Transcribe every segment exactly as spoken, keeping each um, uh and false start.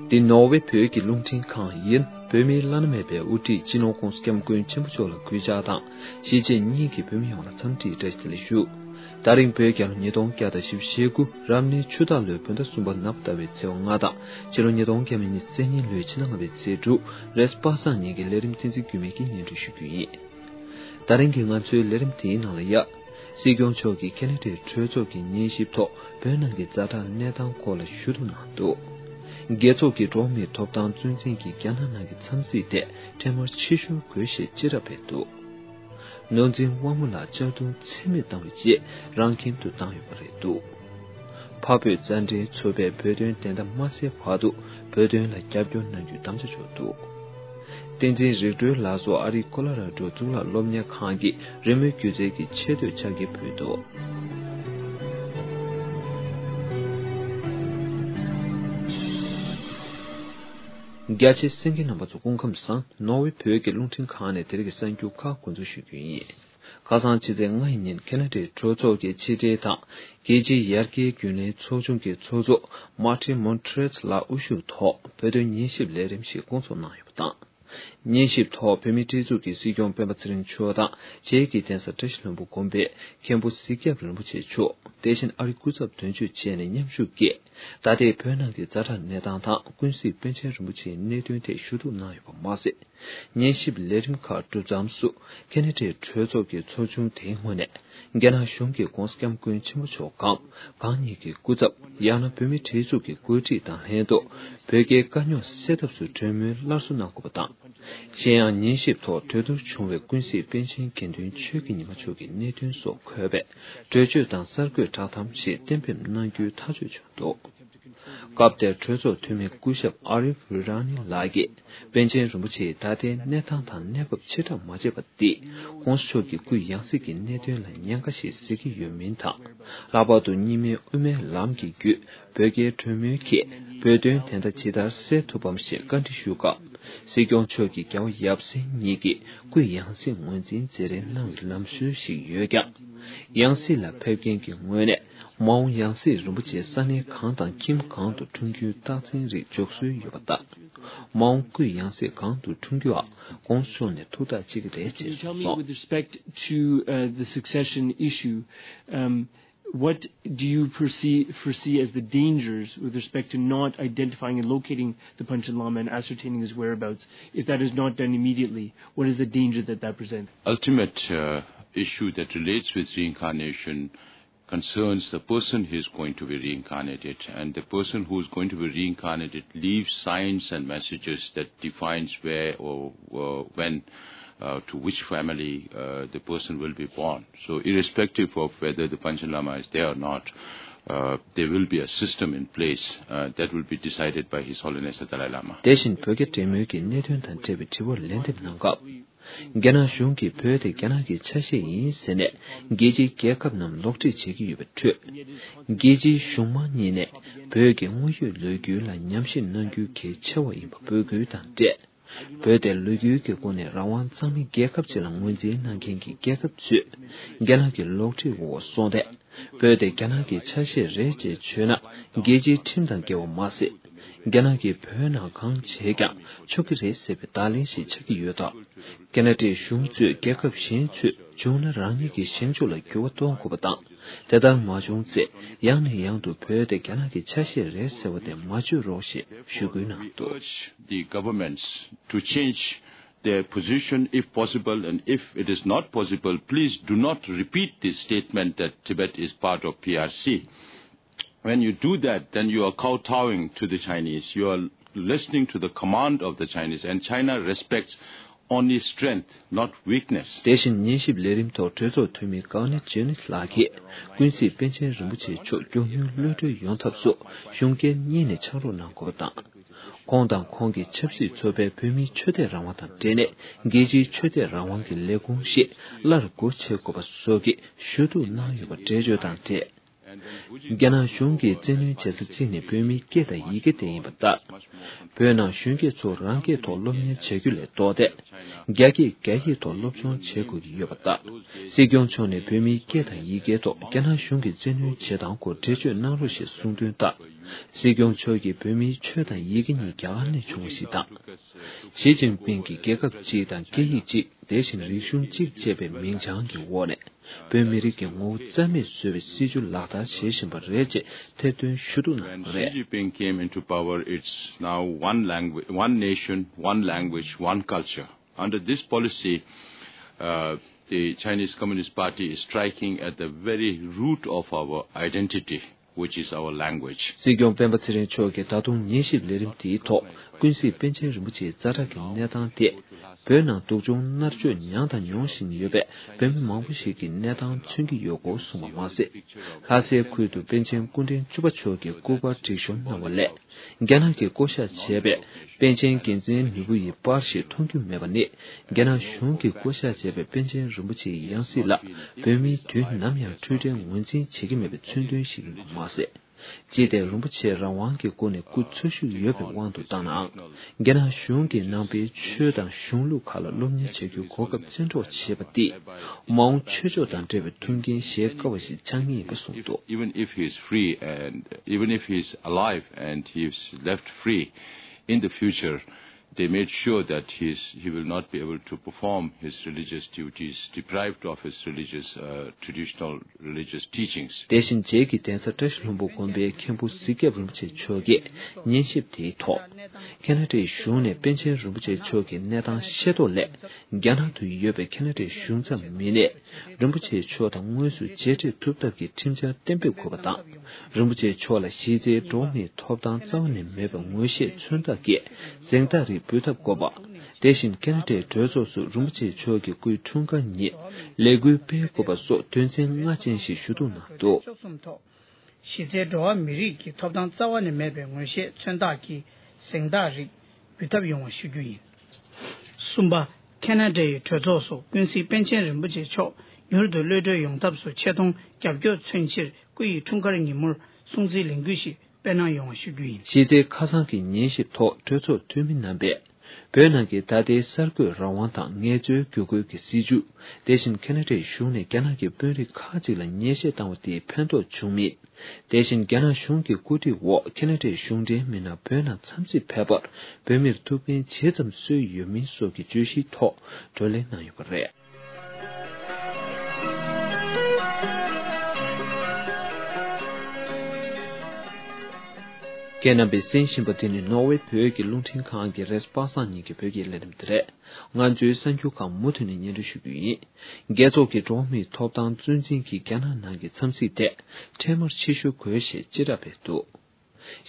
འདི་ནོར་ཝེ་བོད་ཀྱི་རླུང་འཕྲིན་ཁང་ཡིན། བོད་མིའི་བླ་ན་མེད་པའི་དབུ་ཁྲིད་སྤྱི་ནོར་༧གོང་ས་༧སྐྱབས་མགོན་ཆེན་པོ་མཆོག་ལ་གུས་ཕྱག་དང་། གཞིས་བྱེས་གཉིས་ཀྱི་བོད་མི་ཡོངས་ལ་འཚམས་འདྲིའི་བཀྲ་ཤིས་བདེ་ལེགས་ཞུ། ད་རིང་བོད་རྒྱལ་ལོ་ཉིས་སྟོང་བརྒྱ་དང་བཞི་བཅུ་ཞེ་དགུ་རབ་གནས་ཆུ་སྟག་ལོའི་བོད་ཟླ་གསུམ་པ་ནག་པ་ཟླ་བའི་ཚེས་པ་ལྔ་དང་། ཕྱི་ལོ་ཉིས་སྟོང་ཉེར་གཉིས་བཙན་ཉིན་ལོའི་ཕྱི་ཟླ་ལྔ་པའི་ཚེས་དྲུག་རེས་པ་སངས་ཉིན་གྱི་ལས་རིམ་བསྟན་འཛིན་རྒྱུད་སྨད་ཀྱིས་སྙན་སྒྲོན་ཞུ་རྒྱུ་ཡིན། ད་རིང་གི་ང་ཚོའི་ལས་རིམ་དེའི་ནང་ལ་ཡ། སྲིད་སྐྱོང་མཆོག་གིས་ཁེ་ན་ཌའི་གྲོས་ཚོགས་ཀྱི་ཉན་ཞིབ་ཐོག་བོད་ནང་གི་ཛ་དྲག་གནས་སྟངས་སྐོར་ལ་ཞུ་གཏུག་གནང་འདུག། རྒྱལ་ཚོགས་ཀྱི་འགྲོ་བ་མིའི་ཐོབ་ཐང་གཙོ་འཛིན་གྱིས་རྒྱ་ནག་ནང་གི་འཚམས་གཟིགས་དེ་འཕྲལ་མར་ཕྱིར་ཤོར་དགོས་ཞེས་བཅད་ཁྲ་སྤེལ་འདུག། ནོར་འཛིན་དབང་མོ་ལགས་གཅར་རྡུང་ཚད་མེད་བཏང་བའི་རྗེས་རང་ཁྱིམ་དུ་བཏང་ཡོད་པ་རེད་འདུག། འཕགས་བོད་མཛའ་འབྲེལ་ཚོགས་པས་བོད་དོན་བདེན་མཐའ་མ་གསལ་བར་དུ་བོད་དོན་ལ་རྒྱབ་སྐྱོར་གནང་རྒྱུའི་དམ་བཅའ་འཇོག་འདུག། བསྟན་འཛིན་རིག་གྲོལ་ལགས་སུ་ཨ་རིའི་ཀོ་ལོ་ར་ཌོ་གཙུག་ལག་སློབ་གཉེར་ཁང་གི་རི་མོའི་སྒྱུ་རྩལ་གྱི་ཆེ་བསྟོད་ཕྱག་འཁྱེར་ཕུལ་འདུག། རྒྱ་ཆེའི་གསན་མཁན་རྣམ་པ་ཚོ་སྐུ་ཁམས་བཟང་། ནོར་ཝེ་བོད་ཀྱི་རླུང་འཕྲིན་ཁང་ནས་དེ་རིང་གི་གསར་འགྱུར་ཁག་འགོ་འཛུགས་ཞུ་རྒྱུ་ཡིན། ཁ་སང་ཕྱི་ཚེས་ལྔ་ཡི་ཉིན་ཁེ་ན་ཌའི་གྲོས་ཚོགས་ཀྱི་ཕྱི་དྲིལ་དང་རྒྱལ་སྤྱིའི་ཡར་རྒྱས་རྒྱུན་ལས་ཚོགས་ཆུང་གི་ཚོགས་གཙོ་མར་ཏིན་མོན་ཏྲེས་ལགས་དབུ་བཞུགས་ཐོག་བོད་དོན་ཉན་ཞིབ་ལས་རིམ་ཞིག་སྐོང་ཚོགས་གནང་ཡོད་པ་དང་། ཉན་ཞིབ་ཐོག་བོད་མིའི་སྒྲིག་འཛུགས་ཀྱི་སྲིད་སྐྱོང་སྤེན་པ་ཚེ་རིང་མཆོག་དང་། བྱེས་ཀྱི་གདན་ས་བཀྲ་ཤིས་ལྷུན་པོ་དགོན་པའི་མཁན་པོ་གཟིག་སྐྱབས་རིན་པོ་ཆེ་མཆོག། དེ་བཞིན་ཨ་རིའི་སྐུ་ཚབ་དོན་གཅོད་བཅས་ནས་མཉམ་ཞུགས་ཀྱིས། ད་ལྟའི་བོད་ནང་གི་ཛ་དྲག་གནས་སྟངས་དང་ཀུན་གཟིགས་པཎ་ཆེན་རིན་པོ་ཆེའི་གནད་དོན་ཐད་ཞུ་གཏུག་གནང་ཡོད་པ་མ་ཟད། ཉན་ཞིབ་ལས་རིམ་ཁག་གྲུབ་མཚམས་སུ་ཁེ་ན་ཌའི་གྲོས་ཚོགས་ཀྱི་ཚོགས་ཆུང་དེའི་ངོས་ནས་རྒྱ་ནག་གཞུང་གིས་༧གོང་ས་༧སྐྱབས་མགོན་ཆེན་པོ་མཆོག་གམ་གང་ཉིད་ཀྱི་སྐུ་ཚབ་ཡང་ན་བོད་མིའི་སྒྲིག་འཛུགས་ཀྱི་འགོ་ཁྲིད་དང་ལྷན་དུ་བོད་རྒྱའི་དཀའ་རྙོག་སེལ་ཐབས་སུ་གྲོས་མོལ་སླར་གསོ་གནང་དགོས་པ་དང་། གཞན་ཡང་ཉན་ཞིབ་ཐོག་གྲོས་བསྡུར་བྱུང་བའི་ཀུན་གཟིགས་པཎ་ཆེན་དགེ་འདུན་ཆོས་ཀྱི་ཉི་མ་མཆོག་གི་གནད་དོན་སོགས་འཁོད་པའི་གྲོས་ཆོད་དང་གསར་འགོད་བསྒྲགས་གཏམ་ཞིག་གཏན་འབེབས་གནང་རྒྱུའི་ཐག་གཅོད་བྱུང་འདུག། སྐབས་དེར་གྲོས་ཚོགས་འཐུས་མི་སྐུ་ཞབས་ཨ་རིབ་རི་ར་ནི་ལགས་ཀྱིས་པཎ་ཆེན་རིན་པོ་ཆེས་ད་ལྟའི་གནས་སྟངས་དང་གནས་བབ་ཕྱིར་བསྒྲགས་མ་བྱས་པ་འདིས་༧གོང་ས་མཆོག་གི་སྐུའི་ཡང་སྲིད་ཀྱི་གནད་དོན་ལ་ཉེན་ཁ་ཞིག་གཟིགས་ཀྱི་ཡོད་མིན་དང་། ལྷག་པར་དུ་གཉིས་སྨན་དབུ་མའི་ལམ་གྱི་བརྒྱུད་བོད་རྒྱའི་གྲོས་མོལ་གྱིས་བོད་དོན་བདེན་མཐའ་ཇི་ལྟར་གསལ་ཐུབ་བམ་ཞེས་བཀའ་འདྲི་ཞུས་སྐབས། སྲིད་སྐྱོང་མཆོག་གིས་རྒྱལ་བ་ཡབ་སྲས་གཉིས་ཀྱི་སྐུའི་ཡང་སྲིད་ངོས་འཛིན་མཛད་རན་གནང་བའི་ལམ་སྲོལ་ཞིག་ཡོད་ཀྱང་། ཡང་སྲིད་ལ་ཕེབས་མཁན་གྱི་ངོས་ནས་མ་འོངས་ཡང་སྲིད་རིན་པོ་ཆེ་ས་གནས་གང་དང་ཁྱིམ་གང་དུ་འཁྲུངས་རྒྱུའི་རྟགས་མཚན་རིགས་འཇོག་སྲོལ་ཡོད་པ་ལྟར། མ་འོངས་སྐུའི་ཡང་སྲིད་གང་དུ་འཁྲུངས་རྒྱུའང་༧གོང་ས་མཆོག་ནས་ཐུགས་ཐག་བཅད་ཀྱི་རེད་ཅེས་Can you tell me གསུངས་སོང་། With respect to, uh, the succession issue, um, what do you perceive, foresee as the dangers with respect to not identifying and locating the Panchen Lama and ascertaining his whereabouts? If that is not done immediately, what is the danger that that presents? Ultimate uh, issue that relates with reincarnation concerns the person who is going to be reincarnated, and the person who is going to be reincarnated leaves signs and messages that defines where or uh, when uh, to which family uh, the person will be born. So, irrespective of whether the Panchen Lama is there or not, uh, there will be a system in place uh, that will be decided by His Holiness the Dalai Lama. དེ་བཞིན་བོད་རྒྱ་འབྲེལ་མོལ་གྱི་གནད་དོན་དང་འབྲེལ་བའི་དྲི་བར་ལན་འདེབས་གནང་སྐབས། རྒྱ་ནག་གཞུང་གིས་བོད་དེ་རྒྱ་ནག་གི་ཆ་ཤས་ཡིན་ཟེར་ནས་རྒྱལ་སྤྱིའི་རྒྱལ་ཁབ་རྣམས་ལོག་འཁྲིད་བྱེད་ཀྱི་ཡོད་པའི་ཁྲོད། རྒྱལ་སྤྱིའི་གཞུང་མང་གཉིས་ནས་བོད་ཀྱི་དངོས་ཡོད་ལོ་རྒྱུས་ལ་ཉམས་ཞིབ་གནང་རྒྱུ་གལ་ཆེ་བ་ཡིན་པ་འབོད་སྐུལ་དང་འབྲེལ། བོད་དེ་ལོ་རྒྱུས་ཀྱི་སྒོ་ནས་རང་དབང་གཙང་མའི་རྒྱལ་ཁབ་ཅིག་ལ་ངོས་འཛིན་གནང་མཁན་གྱི་རྒྱལ་ཁབ་ཚོས་རྒྱ་ནག་གི་ལོག་འཁྲིད་འོག་སོང་སྟེ། བོད་དེ་རྒྱ་ནག་གི་ཆ་ཤས་རེད་ཅེས་བརྗོད་ན་རྒྱལ་སྤྱིའི་ཁྲིམས་དང་འགལ་བ་མ་ཟད། རྒྱ་ནག་གིས་བོད་ནང་གང་བྱས་ཀྱང་ཆོག་གི་རེད་ཟེར་བའི་བརྡ་ལན་ཞིག་ཆགས་ཀྱི་ཡོད་སྟབས། ཁེ་ན་ཌའི་གཞུང་གཙོས་རྒྱལ་ཁབ་གཞན་ཚོས་བྱུང་ན་རང་ཉིད་ཀྱི་བཞེངས་ཕྱོགས་ལ་འགྱུར་བ་གཏོང་དགོས་པ་དང་། དེ་ལྟར་མ་བྱུང་ཚེ་ཡང་ནས་ཡང་དུ་བོད་དེ་རྒྱ་ནག་གི་ཆ་ཤས་རེད་ཟེར་བ་དེ་མ་བརྗོད་རོགས་ཞེས་ཞུ་སྐུལ་གནང་འདུག། Urge the governments to change their position if possible, and if it is not possible, please do not repeat this statement that Tibet is part of P R C. When you do that, then you are kowtowing to the Chinese. You are listening to the command of the Chinese, and China respects only strength, not weakness. དེ་བཞིན་ཉན་ཞིབ་ལས་རིམ་ཐོག་གྲོས་ཚོགས་འཐུས་མི་ཀའོ་ནི་ཇེ་ནིས་ལགས་ཀྱིས་ཀུན་གཟིགས་པཎ་ཆེན་རིན་པོ་ཆེ་མཆོག་མགྱོགས་མྱུར་གློད་གྲོལ་ཡོང་ཐབས་སུ་གཞུང་སྒེར་གཉིས་ནས་ཕྱག་རོགས་གནང་དགོས་པ་དང་། ཁོང་དང་ཁོང་གི་ཆབ་སྲིད་ཚོགས་པས་བོད་མིའི་ཆོས་དད་རང་དབང་དང་འབྲེལ་ནས་རྒྱལ་སྤྱིའི་ཆོས་དད་རང་དབང་གི་ལས་ཁུངས་ཤིག་སླར་སྒོ་ཕྱེ་དགོས་པ་སོགས་ཀྱི་ཞུ་གཏུག་གནང་ཡོད་པ་འགྲེལ་བརྗོད་དང་འབྲེལ། རྒྱ་ནག་གཞུང་གིས་བཙན་གནོན་བྱེད་ས་གཅིག་ནི་བོད་མིའི་སྐད་དང་ཡི་གེ་དེ་ཡིན་པ་ལྟར། བོད་ནང་གཞོན་སྐྱེས་ཚོ་རང་སྐད་ཐོག་སློབ་གཉེར་བྱ་རྒྱུ་ལས་ལྡོག་སྟེ། རྒྱ་སྐད་རྒྱ་ཡིག་ཐོག་སློབ་སྦྱོང་བྱེད་དགོས་ཀྱི་ཡོད་པ་ལྟར། སྲིད་སྐྱོང་མཆོག་ནས་བོད་མིའི་སྐད་དང་ཡི་གེ་ཐོག་རྒྱ་ནག་གཞུང་གིས་བཙན་གནོན་བྱེད་སྟངས་སྐོར་འགྲེལ་བརྗོད་གནང་རོགས་ཞེས་གསུངས་དོན་ལྟར། སྲིད་སྐྱོང་མཆོག་གིས་བོད་མིའི་ཆོས་དང་ཡི་གེ་གཉིས་རྒྱ་གར་ནས་བྱུང་བ་ཞིག་དང་། ཞི་ཅིན་ཕིང་གིས་རྒྱལ་ཁབ་གཅིག་དང་སྐད་ཡིག་གཅིག་དེ་བཞིན་རིག་གཞུང་གཅིག་ཅེས་པའི་མིང་བྱང་གི་འོག་ནས། བོད་མི་རིགས་ཀྱི་ངོ་བོ་རྩ་མེད་བཟོ་བའི་སྲིད་བྱུས་ལག་བསྟར་བྱེད་བཞིན་པ་རེད་ཅེས་ཐེར་འདོན་ཞུ་གཏུག་གནང་ཡོད་པ་རེད། When Xi Jinping came into power, it's now one language, one nation, one language, one culture. Under this policy, uh, the Chinese Communist Party is striking at the very root of our identity, which is our language. སྲིད་སྐྱོང་སྤེན་པ་ཚེ་རིང་མཆོག་གིས་ད་དུང་ཉན་ཞིབ་ལས་རིམ་དེའི་ཐོག་ཀུན་གཟིགས་པཎ་ཆེན་རིན་པོ་ཆེའི་ཛ་དྲག་གི་གནས་སྟངས་དེ། བོད་ནང་སྡུག་སྦྱོང་མནར་གཅོད་མྱངས་དང་མྱོང་བཞིན་ཡོད་པའི་བོད་མི་མང་པོ་ཞིག་གི་གནས་སྟངས་མཚོན་གྱི་ཡོད་སྐོར་གསུངས་པ་མ་ཟད། ལྷ་སའི་ཁུལ་དུ་པཎ་ཆེན་སྐུ་ཕྲེང་བཅུ་པ་མཆོག་གི་སྐུ་པར་སྒྲིག་ཤོམ་གནང་བ་ལས། རྒྱ་ནག་གིས་བསྐོ་བཞག་བྱས་པའི་པཎ་ཆེན་འགན་འཛིན་ནོར་བུ་ཡི་པར་ཞིག་མཐོང་རྒྱུ་མེད་པ་ནི། རྒྱ་ནག་གཞུང་གིས་བསྐོ་བཞག་བྱས་པའི་པཎ་ཆེན་རིན་པོ་ཆེའི་ཡང་སྲིད་ལ་བོད་མིས་དུས་ནམ་ཡང་འཁྲུལ་བྲལ་ངོས་འཛིན་བྱེད་ཀྱི་མེད་པའི་མཚོན་དོན་ཞིག་ཡིན་པ་མ་ཟད། ཅི་སྟེ་རིན་པོ་ཆེ་རང་དབང་གི་སྒོ་ནས་སྐུ་འཚོ་བཞུགས་ཡོད་པའི་དབང་དུ་བཏང་ནའང་། རྒྱ་ནག་གཞུང་གིས་ནང་པའི་ཆོས་དང་གཞུང་ལུགས་ཁག་ལ་སློབ་གཉེར་བྱ་རྒྱུའི་གོ་སྐབས་བཙན་འཕྲོག་བྱས་པ་འདིས། མ་འོངས་ཆོས་ཕྱོགས་དང་འབྲེལ་བའི་མཐུན་རྐྱེན་བཞེས་དཀའ་བ་ཞིག་ཆགས་ངེས་ཡིན་པ་གསུངས་འདུག Even if he is free and even if he is alive and he is left free in the future, they made sure that he is, he will not be able to perform his religious duties, deprived of his religious, uh, traditional religious teachings. དེ་བཞིན་རྗེས་ཀྱི་གདན་ས་བཀྲ་ཤིས་ལྷུན་པོ་དགོན་པའི་མཁན་པོ་གཟིག་སྐྱབས་རིན་པོ་ཆེ་མཆོག་གིས་ཉན་ཞིབ་དེའི་ཐོག་ཁེ་ན་ཌའི་གཞུང་ནས་པཎ་ཆེན་རིན་པོ་ཆེ་མཆོག་གི་གནས་སྟངས་ཤེས་རྟོགས་སླད། རྒྱ་ནག་ཏུ་ཡོད་པའི་ཁེ་ན་ཌའི་གཞུང་ཚབ་མི་སྣས་རིན་པོ་ཆེ་མཆོག་དང་དངོས་སུ་མཇལ་འཕྲད་ཐུབ་ཐབས་ཀྱི་ཁྲིམས་འཆར་གཏན་འབེབས་དགོས་པ་དང་། རིན་པོ་ཆེ་མཆོག་ལ་གཞི་རྩའི་འགྲོ་བ་མིའི་ཐོབ་ཐང་རྩ་བ་ནས་མེད་པའི་ངོ་ཤེས་མཚོན་རྟགས་ཀྱི་གཟེངས་རྟགས་རིགས་འབུལ་ཐབས་དགོས་པ། དེ་བཞིན་ཁེ་ན་ཌའི་གྲོས་ཚོགས་སུ་རིན་པོ་ཆེ་མཆོག་གི་སྐུའི་འཁྲུངས་སྐར་ཉིན་ལས་འགུལ་སྤེལ་དགོས་པ་སོགས་དོན་ཚན་ལྔ་ཅན་ཞིག་ཞུ་གཏུག་གནང་འདུག་གཞི་རྩའི་འགྲོ་བ་མི་རིགས་ཀྱི་ཐོབ་ཐང་རྩ་བ་ནས་མེད་པའི་ངོ་ཤེས་མཚོན་རྟགས་ཀྱི་གཟེངས་རྟགས་རིགས་འབུལ་ཐབས་ཡོང་བ་ཞུ་རྒྱུ་ཡིན། གསུམ་པ། ཁེ་ན་ཌའི་གྲོས་ཚོགས་སུ་ཀུན་གཟིགས་པཎ་ཆེན་རིན་པོ་ཆེ་མཆོག་མྱུར་དུ་གློད་གྲོལ་ཡོང་ཐབས་སུ་ཆེ་མཐོང་རྒྱབ་སྐྱོར་མཚོན་ཕྱིར་སྐུ་ཡི་འཁྲུངས་སྐར་ཉིན་མོར་སྲུང་བརྩིའི་ལས་འགུལ་ཞིག་སྤེལ་གནང་ཡོང་བ་ཞུ་རྒྱུ་ཡིན། གཞི་རྩའི་ཁ་སང་གི་ཉན་ཞིབ་ཐོག་གྲོས་ཚོགས་འཐུས་མི་རྣམ་པས། བོད་ནང་གི་ད་ལྟའི་གསར་འགོད་རང་དབང་དང་ངལ་རྩོལ་བསྒྱུར་བཀོད་ཀྱི་སྲིད་བྱུས། དེ་བཞིན་ཁེ་ན་ཌའི་གཞུང་ནས་རྒྱ་ནག་གི་དཔོན་རིགས་ཁག་ཅིག་ལ་ཉེས་ཆད་བཏང་བ་དེས་ཕན་ཐོགས་བྱུང་མིན། དེ་བཞིན་རྒྱ་ནག་གཞུང་གི་བཀོད་སྒྲིག་འོག་ཁེ་ན་ཌའི་གཞུང་འབྲེལ་མི་སྣ་བོད་ནང་འཚམས་གཟིགས་ཕེབས་པར་བོད་མིར་ཐུགས་ཕན་ཇི་ཙམ་གསོས་ཡོད་མིན་སོགས་ཀྱི་བརྗོད་གཞིའི་ཐོག་བགྲོ་གླེང་གནང་ཡོད་པ་རེད། ཁྱེད་རྣམ་པས་གསན་བཞིན་པ་དེ་ནི་ནོར་ཝེ་བོད་ཀྱི་རླུང་འཕྲིན་ཁང་གི་རེས་པ་སངས་ཉིན་གྱི་བོད་ཀྱི་ལས་རིམ་དེ་རེད། ང་ཚོའི་གསར་འགྱུར་ཁག་མུ་མཐུད་ནས་སྙན་སྒྲོན་ཞུ་རྒྱུ་ཡིན། རྒྱལ་ཚོགས་ཀྱི་འགྲོ་བ་མིའི་ཐོབ་ཐང་གཙོ་འཛིན་གྱིས་རྒྱ་ནག་ནང་གི་འཚམས་གཟིགས་དེ་འཕྲལ་མར་ཕྱིར་བཤོལ་དགོས་ཞེས་དཔྱད་བསྒྲགས་སྤེལ་འདུག་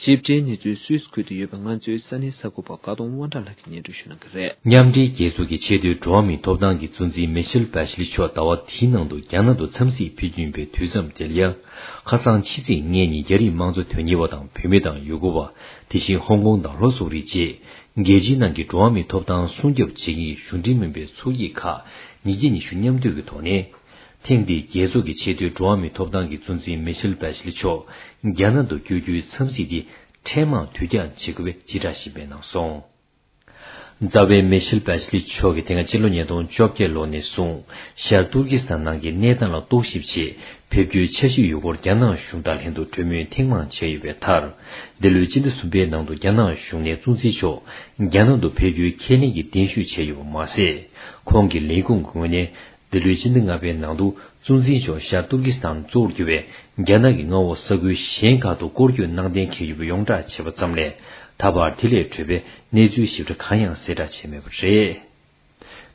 ཞིབ་ཕྲའི་གནས་ཚུལ་སུད་སི་ཁུལ་དུ་ཡོད་པའི་ང་ཚོའི་ས་གནས་གསར་འགོད་པ་དགའ་གདོང་དབང་གྲགས་ལགས་ཀྱིས་སྙན་སྒྲོན་ཞུ་གནང་གི་རེད། མཉམ་འབྲེལ་རྒྱལ་ཚོགས་ཀྱི་ཆེས་མཐོའི་འགྲོ་བ་མིའི་ཐོབ་ཐང་གི་གཙོ་འཛིན་མི་ཤེལ་བྷ་ཤི་ལི་མཆོག་ཟླ་བ་འདིའི་ནང་དུ་རྒྱ་ནག་ཏུ་འཚམས་གཟིགས་ཕེབས་རྒྱུ་ཡིན་པའི་དུས་མཚམས་དེ་ལ་ཡང་། ཁ་སང་ཕྱི་ཚེས་ལྔ་ཉིན་རྒྱ་རིགས་དམངས་གཙོ་དོན་གཉེར་བ་དང་བོད་མི་དང་ཡུ་གུར་བ། དེ་བཞིན་ཧོང་ཀོང་དང་ལྷོ་སོག་རིགས་བཅས། རྒྱལ་སྤྱིའི་ནང་གི་འགྲོ་བ་མིའི་ཐོབ་ཐང་སྲུང་སྐྱོབ་བྱེད་མཁན་གྱི་གཞུང་འབྲེལ་མིན་པའི་ཚོགས་སྐྱིད་ཁག་ཉིས་བརྒྱ་ཉི་ཤུ་མཉམ་འདུས་ཀྱི་ཐོག་ནས། ཐེངས་འདིའི་རྒྱལ་ཚོགས་ཀྱི་ཆེས་མཐོའི་འགྲོ་བ་མིའི་ཐོབ་ཐང་གི་གཙོ་འཛིན་མི་ཤེལ་བྷ་ཤི་ལི་མཆོག་རྒྱ་ནག་ཏུ་བསྐྱོད་རྒྱུའི་འཚམས་གཟིགས་འདི་འཕྲལ་མར་དུས་འགྱངས་བྱེད་དགོས་པའི་དཔྱད་བསྒྲགས་ཤིག་སྤེལ་གནང་སོང་། རྩ་བའི་མི་ཤེལ་བྷ་ཤི་ལི་མཆོག་གིས་དེ་སྔ་ཕྱི་ལོ་ཉིས་སྟོང་བཅོ་བརྒྱད་ལོ་ནས་བཟུང་ཤར་ཏུར་ཀི་སི་ཐན་ནང་གི་གནས་སྟངས་ལ་རྟོག་ཞིབ་ཆེད་ཕེབས་རྒྱུའི་འཆར་གཞི་ཡོད་སྐོར་རྒྱ་ནག་གཞུང་དང་ལྷན་དུ་གྲོས་མོལ་ཐེངས་མང་བྱས་ཡོད་པའི་མཐར། འདི་ལོའི་སྤྱི་ཟླ་གསུམ་པའི་ནང་དུ་རྒྱ་ནག་གཞུང་ནས་གཙོ་འཛིན་མཆོག་རྒྱ་ནག་ཏུ་ཕེབས་རྒྱུའི་ཁས་ལེན་གྱི་གདན་ཞུ་བྱས་ཡོད་པ་མ་ཟད། ཁོང་གི་ལས་ཁུངས་ཀྱི་ངོས་ནས། འདི་ལོའི་ཕྱི་ཟླ་ལྔ་པའི་ནང་དུ་གཙོ་འཛིན་མཆོག་ཤར་ཏུར་ཀི་སི་ཐན་གཙོ་བོར་གྱུར་བའི་རྒྱ་ནག་གི་མངའ་འོག་ས་ཁུལ་གཞན་ཁག་ཏུ་སྐོར་སྐྱོད་གནང་གཏན་འཁེལ་ཡོད་པ་ཡོངས་བསྒྲགས་བྱས་པ་ཙམ་ལས། ད་བར་དེ་ལས་འཕྲོས་པའི་གནས་ཚུལ་ཞིབ་ཕྲ་གང་ཡང་གསལ་བསྒྲགས་བྱས་མེད་པ་རེད།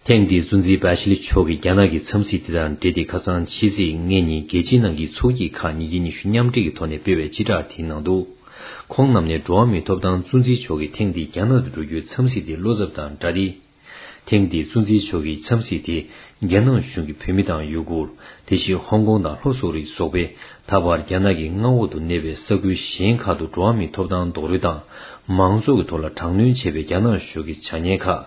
ཐེངས་འདིའི་གཙོ་འཛིན་བྷ་ཤི་ལི་མཆོག་གི་རྒྱ་ནག་གི་འཚམས་གཟིགས་དེ་དང་འབྲེལ་ཏེ་ཁ་སང་ཕྱི་ཚེས་ལྔ་ཉིན་རྒྱལ་སྤྱིའི་ནང་གི་ཚོགས་སྐྱིད་ཁག་ཉིས་བརྒྱ་ཉི་ཤུ་མཉམ་འབྲེལ་གྱི་ཐོག་ནས་སྤེལ་བའི་སྤྱི་བསྒྲགས་དེའི་ནང་དུ། ཁོང་རྣམས་ནས་འགྲོ་བ་མིའི་ཐོབ་ཐང་གཙོ་འཛིན་མཆོག་གིས་ཐེངས་འདིའི་རྒྱ་ནག་ཏུ་འགྲོ་རྒྱུའི་འཚམས་གཟིགས་དེ་བློ་འཚབ་དང་འདྲ་སྟེ། ཐེངས་འདིའི་གཙོ་འཛིན་མཆོག་གི་འཚམས་གཟིགས་དེ་རྒྱ་ནག་གཞུང་གིས་བོད་མི་དང་ཡུ་གུར། དེ་བཞིན་ཧོང་ཀོང་དང་ལྷོ་སོག་རིགས་སོགས་པའི་ད་བར་རྒྱ་ནག་གི་མངའ་འོག་ཏུ་གནས་པའི་ས་ཁུལ་གཞན་ཁག་ཏུ་འགྲོ་བ་མིའི་ཐོབ་ཐང་རྡོག་རོལ་དང་མང་གཙོ་གི་ཐོག་ལ་དྲག་གནོན་བྱས་པའི་རྒྱ་ནག་གཞུང་གི་བྱ་ངན་ཁག་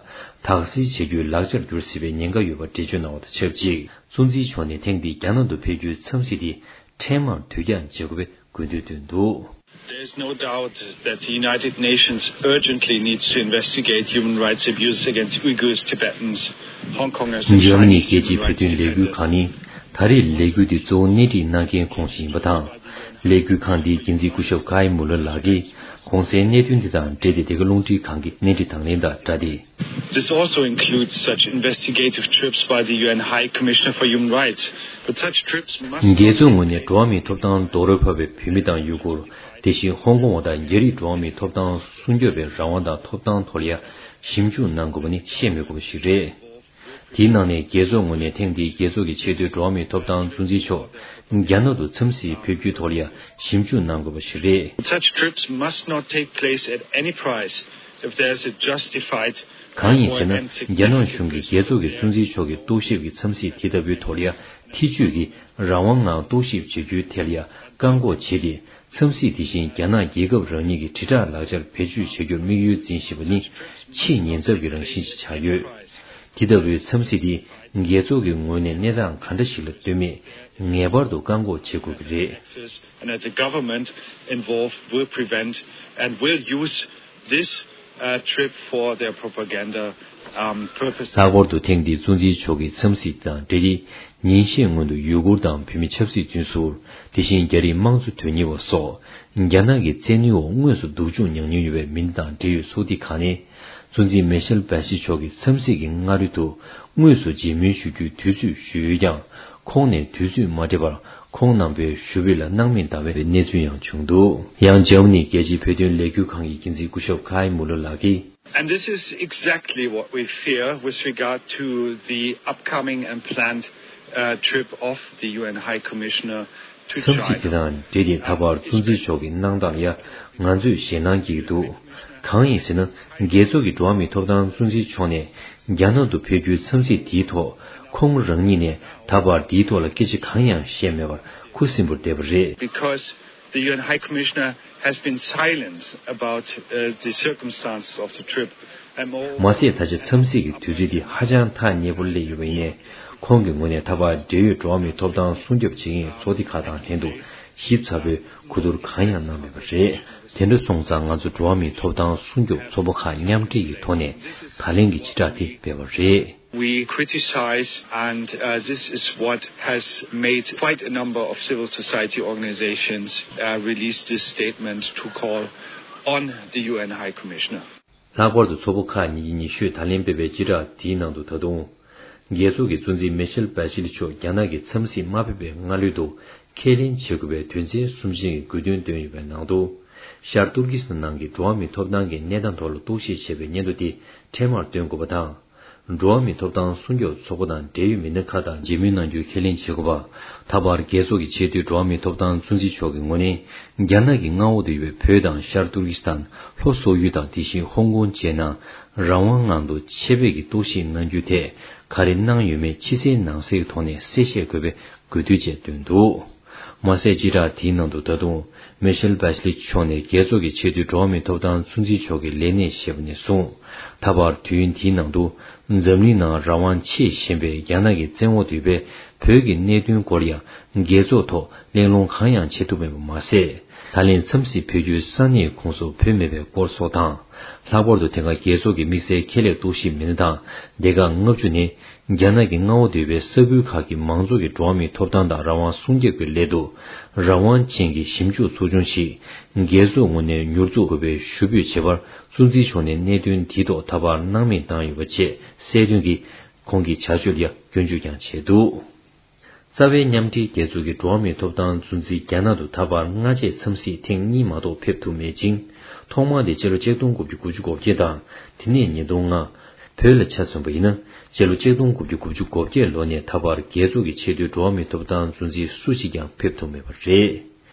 དག་སེལ་བྱེད་རྒྱུའི་ལག་ཆར་འགྱུར་སྲིད་པའི་ཉེན་ཁ་ཡོད་པ་འགྲེལ་བརྗོད་གནང་བ་དང་ཆབས་ཅིག་གཙོ་འཛིན་མཆོག་ནས་ཐེངས་འདིའི་རྒྱ་ནག་ཏུ་ཕེབས་རྒྱུའི་འཚམས་གཟིགས་དེ། འཕྲལ་མར་དུས་འགྱངས་བྱེད་དགོས་པའི་དགོས་འདུན་བཏོན་འདུག། There is no doubt that the United Nations urgently needs to investigate human rights abuses against Uyghurs, Tibetans, Hong Kongers, and འཇར་མ་ནི་Chinese རྒྱལ་སྤྱིའི་human བོད་དོན་rights ལས་འགུལ་defenders. ཁང་ནི་ད་རེས་ལས་འགུལ་འདི་གཙོ་བོ་སྣེ་ཁྲིད་གནང་མཁན་ཁོང་ཞིག་ཡིན་པ་དང་། ལས་འགུལ་ཁང་འདིའི་འགན་འཛིན་སྐུ་ཞབས་ཀའི་མུ་ལར་ལགས་ཀྱིས་གོང་གསལ་གནད་དོན་འདི་དང་འབྲེལ་ཏེ་འདི་ག་རླུང་འཕྲིན་ཁང་གི་སྣེ་ཁྲིད་དང་ལེན་དང་སྦྲགས་ཏེ། This also includes such investigative trips by the U N High Commissioner for Human Rights, but such trips must རྒྱལ་ཚོགས་ངོས་ནས་འགྲོ་བ་མིའི་ཐོབ་ཐང་རྡོག་རོལ་བབས་པའི་བོད་མི་དང་ཡུ་གུར། དེ་བཞིན་ཧོང་ཀོང་བ་དང་རྒྱ་རིགས་འགྲོ་བ་མིའི་ཐོབ་ཐང་སྲུང་སྐྱོབ་པའི་རང་དབང་དང་ཐོབ་ཐང་ཐོག་ལ་ཡང་ཞིབ་འཇུག་གནང་དགོས་པ་ནི་བཤད་མི་དགོས་པ་ཞིག་རེད། དེའི་ནང་ནས་རྒྱལ་ཚོགས་ངོས་ནས་ཐེངས་འདིའི་རྒྱལ་ཚོགས་ཀྱི་ཆེས་མཐོའི་འགྲོ་བ་མིའི་ཐོབ་ཐང་གཙོ་འཛིན་མཆོག་རྒྱ་ནག་ཏུ་འཚམས་གཟིགས་ཕེབས་རྒྱུའི་ཐོག་ལ་ཡང་ཞིབ་འཇུག་གནང་དགོས་པ་ཞིག་རེད། Such trips must not take place at any price if there is a justified གང་ཡིན་ཟེར་ན། རྒྱ་ནག་གཞུང་གིས་རྒྱལ་ཚོགས་ཀྱི་གཙོ་འཛིན་མཆོག་གི་རྟོག་ཞིབ་ཀྱི་འཚམས་གཟིགས་དེ་ལྟ་བུའི་ཐོག་ལ་ཡང་ཐེ་བྱུས་ཀྱིས་རང་དབང་ངང་རྟོག་ཞིབ་བྱེད་རྒྱུའི་ཐད་ལ་ཡང་བཀག་འགོག་བྱས་ཏེ། འཚམས་གཟིགས་དེ་བཞིན་རྒྱ་ནག་རྒྱལ་ཁབ་རང་ཉིད་ཀྱི་དྲིལ་བསྒྲགས་ལག་ཆར་བེད་སྤྱོད་བྱ་རྒྱུར་དམིགས་ཡུལ་འཛིན་བཞིན་པ་ནི་ཆེས་ཉེན་ཚབས་ཀྱི་རང་བཞིན་ཞིག་ཆགས་ཡོད། དེ་ལྟ་བུའི་འཚམས་གཟིགས་དེ་རྒྱལ་ཚོགས་ཀྱི་ངོས་ནས་གནས་སྟངས་ག་འདྲ་ཞིག་ལ་ལྟོས་མེད་ངེས་པར་དུ་བཀག་འགོག་བྱེད་དགོས་ཀྱི་རེད། And that the government involved will prevent and will use this uh, trip for their propaganda um, purposes. ལྷག་པར་དུ་ཐེངས་འདིའི་གཙོ་འཛིན་མཆོག་གི་འཚམས་གཟིགས་དང་འབྲེལ་ཏེ། ཉིན་ཤས་སྔོན་དུ་ཡུ་གུར་དང་བོད་མི་ཆབ་སྲིད་བཙོན་ཟུར། དེ་བཞིན་རྒྱ་རིགས་དམངས་གཙོ་དོན་གཉེར་བ་སོགས། རྒྱ་ནག་གི་བཙན་གནོན་འོག་དངོས་སུ་སྡུག་སྦྱོང་མྱངས་མྱོང་ཡོད་པའི་མི་སྣ་དང་འབྲེལ་ཡོད་ཚོགས་སྡེ་ཁག་ནས། གཙོ་འཛིན་མེ་ཤེལ་བྷ་ཤི་མཆོག་གི་འཚམས་གཟིགས་ཀྱི་སྔ་རོལ་དུ་དངོས་སུ་མཇལ་མོལ་ཞུ་རྒྱུའི་དུས་ཚོད་ཞུས་ཡོད་ཀྱང་། ཁོང་ནས་དུས་ཚོད་མ་སྤྲད་པར་ཁོང་རྣམ་པའི་ཞུ་འབོད་ལ་སྣང་མེད་བཏང་བའི་གནས་ཚུལ་ཡང་བྱུང་འདུག། ཡང་འཇར་མ་ནིའི་རྒྱལ་སྤྱིའི་བོད་དོན་ལས་འགུལ་ཁང་གི་འགན་འཛིན་སྐུ་ཞབས་ཁའི་མུ་ལར་ལགས་ཀྱིས། And this is exactly what we fear with regard to the upcoming and planned uh, trip of the U N High Commissioner to འཚམས་གཟིགས་དེ་དང་འབྲེལ་ཏེ་ད་བར་གཙོ་འཛིན་མཆོག་གི་གནང་སྟངས་ལ་ཡང་ང་ཚོས་ཞེད་སྣང་སྐྱེ་གི་འདུག། གང་ཡིན་ཟེར་ན། རྒྱལ་ཚོགས་ཀྱི་འགྲོ་བ་མིའི་ཐོབ་ཐང་གཙོ་འཛིན་མཆོག་ནས་རྒྱ་ནག་ཏུ་ཕེབས་རྒྱུའི་འཚམས་གཟིགས་དེའི་ཐོག་ཁོང་རང་ཉིད་ནས་ད་བར་དེའི་ཐོག་ལ་སྐད་ཆ་གང་ཡང་བཤད་མེད་པར་ཁུ་སིམ་པོར་བསྡད་པ་རེད། Because the U N High Commissioner has been silent about uh, the circumstances of the trip. I'm all མ་ཟད་ད་ཆ་འཚམས་གཟིགས་ཀྱི་དུས་ཚོད་འདི་ཧ་ཅང་ཐག་ཉེ་པོར་སླེབས་ཡོད་པ་ཡིན་ནའི། ཁོང་གི་ངོས་ནས་ད་བར་འབྲེལ་ཡོད་འགྲོ་བ་མིའི་ཐོབ་ཐང་སྲུང་སྐྱོབ་བྱེད་མཁན་ཚོགས་སྡེ་ཁག་དང་ལྷན་དུ་ཞིབ་ཚགས་པོའི་གོ་བསྡུར་གང་ཡང་གནང་མེད་པ་རེད། དེ་འདྲ་སོང་ཙང་ང་ཚོ་འགྲོ་བ་མིའི་ཐོབ་ཐང་སྲུང་སྐྱོབ་ཚོགས་པ་ཁག་མཉམ་འབྲེལ་གྱི་ཐོག་ནས་ད་ལན་གྱི་བྱེ་བྲག་དེ་སྤེལ་བ་རེད། We criticize, and uh, this is what has made quite a number of civil society organizations uh, release this statement to call on the U N High Commissioner. ལྷག་པར་དུ་ཚོགས་པ་ཁག་གཉིས་ཀྱིས་ཉེ་ཤོས་ད་ལན་སྤེལ་བའི་བྱེ་བྲག་དེའི་ནང་དུ་ད་དུང་། རྒྱལ་ཚོགས་ཀྱི་གཙོ་འཛིན་མེ་ཤེལ་བྷ་ཤི་ལི་མཆོག་རྒྱ་ནག་གི་འཚམས་གཟིགས་མ་ཕེབས་པའི་སྔ་ལོད་དུ་ཁས་ལེན་བྱེད་དགོས་པའི་དོན་ཚན་གསུམ་ཅན་གྱི་དགོས་འདུན་བཏོན་ཡོད་པའི་ནང་དུ། ཤར་ཏུར་ཀི་སི་ཐན་ནང་གི་འགྲོ་བ་མིའི་ཐོབ་ཐང་གི་གནས་སྟངས་ཐོག་ལ་རྟོག་ཞིབ་བྱེད་པའི་སྙན་ཐོ་དེ་འཕྲལ་མར་བཏོན་དགོས་པ་དང་། འགྲོ་བ་མིའི་ཐོབ་ཐང་སྲུང་སྐྱོབ་ཚོགས་པ་དང་འབྲེལ་ཡོད་མི་སྣ་ཁག་དང་མཇལ་མོལ་གནང་རྒྱུའི་ཁས་ལེན་བྱེད་དགོས་པ། ད་བར་རྒྱལ་ཚོགས་ཀྱི་ཆེས་མཐོའི་འགྲོ་བ་མིའི་ཐོབ་ཐང་གཙོ་འཛིན་མཆོག་གི་ངོས་ནས། རྒྱ་ནག་གི་མངའ་འོག་ཏུ་ཡོད་པའི་བོད་དང་ཤར་ཏུར་ཀི་སི་ཐན། ལྷོ་སོག་ཡུལ་དང་དེ་བཞིན་ཧོང་ཀོང་བཅས་ནང་རང་དབང་ངང་དུ་ཆེད་ཕེབས་ཀྱིས་རྟོག་ཞིབ་གནང་རྒྱུའི་ཐད་ག་རེ་གནང་ཡོད་མེད་ཕྱི་གསལ་ནང་གསལ་གྱི་ཐོག་ནས་གསལ་བཤད་དགོས་པའི་དགོས་འདུན་བཅས་བཏོན་འདུག། མ་ཟད་བྱེ་བྲག་དེའི་ནང་དུ་ད་དུང་མེ་ཤེལ་བྷ་ཤི་ལི་མཆོག་ནས་རྒྱལ་ཚོགས་ཀྱི་ཆེས་མཐོའི་འགྲོ་བ་མིའི་ཐོབ་ཐང་གཙོ་འཛིན་མཆོག་གི་ལས་གནས་བཞེས་པ་ནས་བཟུང་། ད་བར་དུས་ཡུན་དེའི་ནང་དུ་འཛམ་གླིང་ནང་རང་དབང་ཆེས་ཞན་པའི་རྒྱ་ནག་གི་བཙན་འོག་ཏུ་ཡོད་པའི་བོད་ཀྱི་གནད་དོན་སྐོར་ཡང་རྒྱལ་ཚོགས་ཐོག་གླེང་སློང་གང་ཡང་བྱེད་ཐུབ་མེད་པ་མ་ཟད། ད་ལན་འཚམས་གཟིགས་ཕེབས་རྒྱུའི་ས་གནས་ཁོངས་སུ་བོད་མེད་པའི་སྐོར་སོགས་དང་། ལྷག་པར་དུ་དེ་སྔ་རྒྱལ་ཚོགས་ཀྱི་དམིགས་བསལ་ཁྱད་ལས་རྟོག་ཞིབ་མི་སྣ་དང་སྡེ་ཁག་ལྔ་བཅུ་ནས་རྒྱ་ནག་གི་མངའ་འོག་ཏུ་ཡོད་པའི་ས་ཁུལ་ཁག་གི་མང་ཚོགས་ཀྱི་འགྲོ་བ་མིའི་ཐོབ་ཐང་དང་རང་དབང་སྲུང་སྐྱོབ་ཀྱི་སླད་དུ་རང་དབང་ཅན་གྱི་ཞིབ་འཇུག་ཚོགས་ཆུང་ཞིག་རྒྱལ་ཚོགས་ངོས་ནས་མྱུར་ཚོགས་དགོས་པའི་ཞུ་འབོད་བྱས་པར་གཙོ་འཛིན་མཆོག་ནས་གནད་དོན་དེའི་ཐོག་ད་བར་སྣང་མེད་བཏང་ཡོད་པ་བཅས་གསལ་སྟོན་གྱིས་ཁོང་གི་བྱ་སྤྱོད་ལ་ཡང་སྐྱོན་བརྗོད་ཀྱང་བྱས་འདུག། རྩ་བའི་མཉམ་འབྲེལ་རྒྱལ་ཚོགས་ཀྱི་འགྲོ་བ་མིའི་ཐོབ་ཐང་གཙོ་འཛིན་རྒྱ་ནག་ཏུ་ད་བར་སྔ་རྗེས་འཚམས་གཟིགས་ཐེངས་གཉིས་མ་གཏོགས་ཕེབས་ཐུབ་མེད་ཅིང་། ཐོག་མ་དེ་སྤྱི་ལོ་ཆིག་སྟོང་དགུ་བརྒྱ་དགུ་བཅུ་གོ་བརྒྱད་དང་དེ་ནས་ཉིས་སྟོང་ལྔ། བོད་ལ་ཆ་མཚོན་པ་ཡིན་ན་སྤྱི་ལོ་ཆིག་སྟོང་དགུ་བརྒྱ་དགུ་བཅུ་གོ་བརྒྱད་ལོ་ནས་ད་བར་རྒྱལ་ཚོགས་ཀྱི་ཆེས་མཐོའི་འགྲོ་བ་མིའི་ཐོབ་ཐང་གཙོ་འཛིན་སུ་ཞིག་ཀྱང་ཕེབས་ཐུབ་མེད་པ་རེད།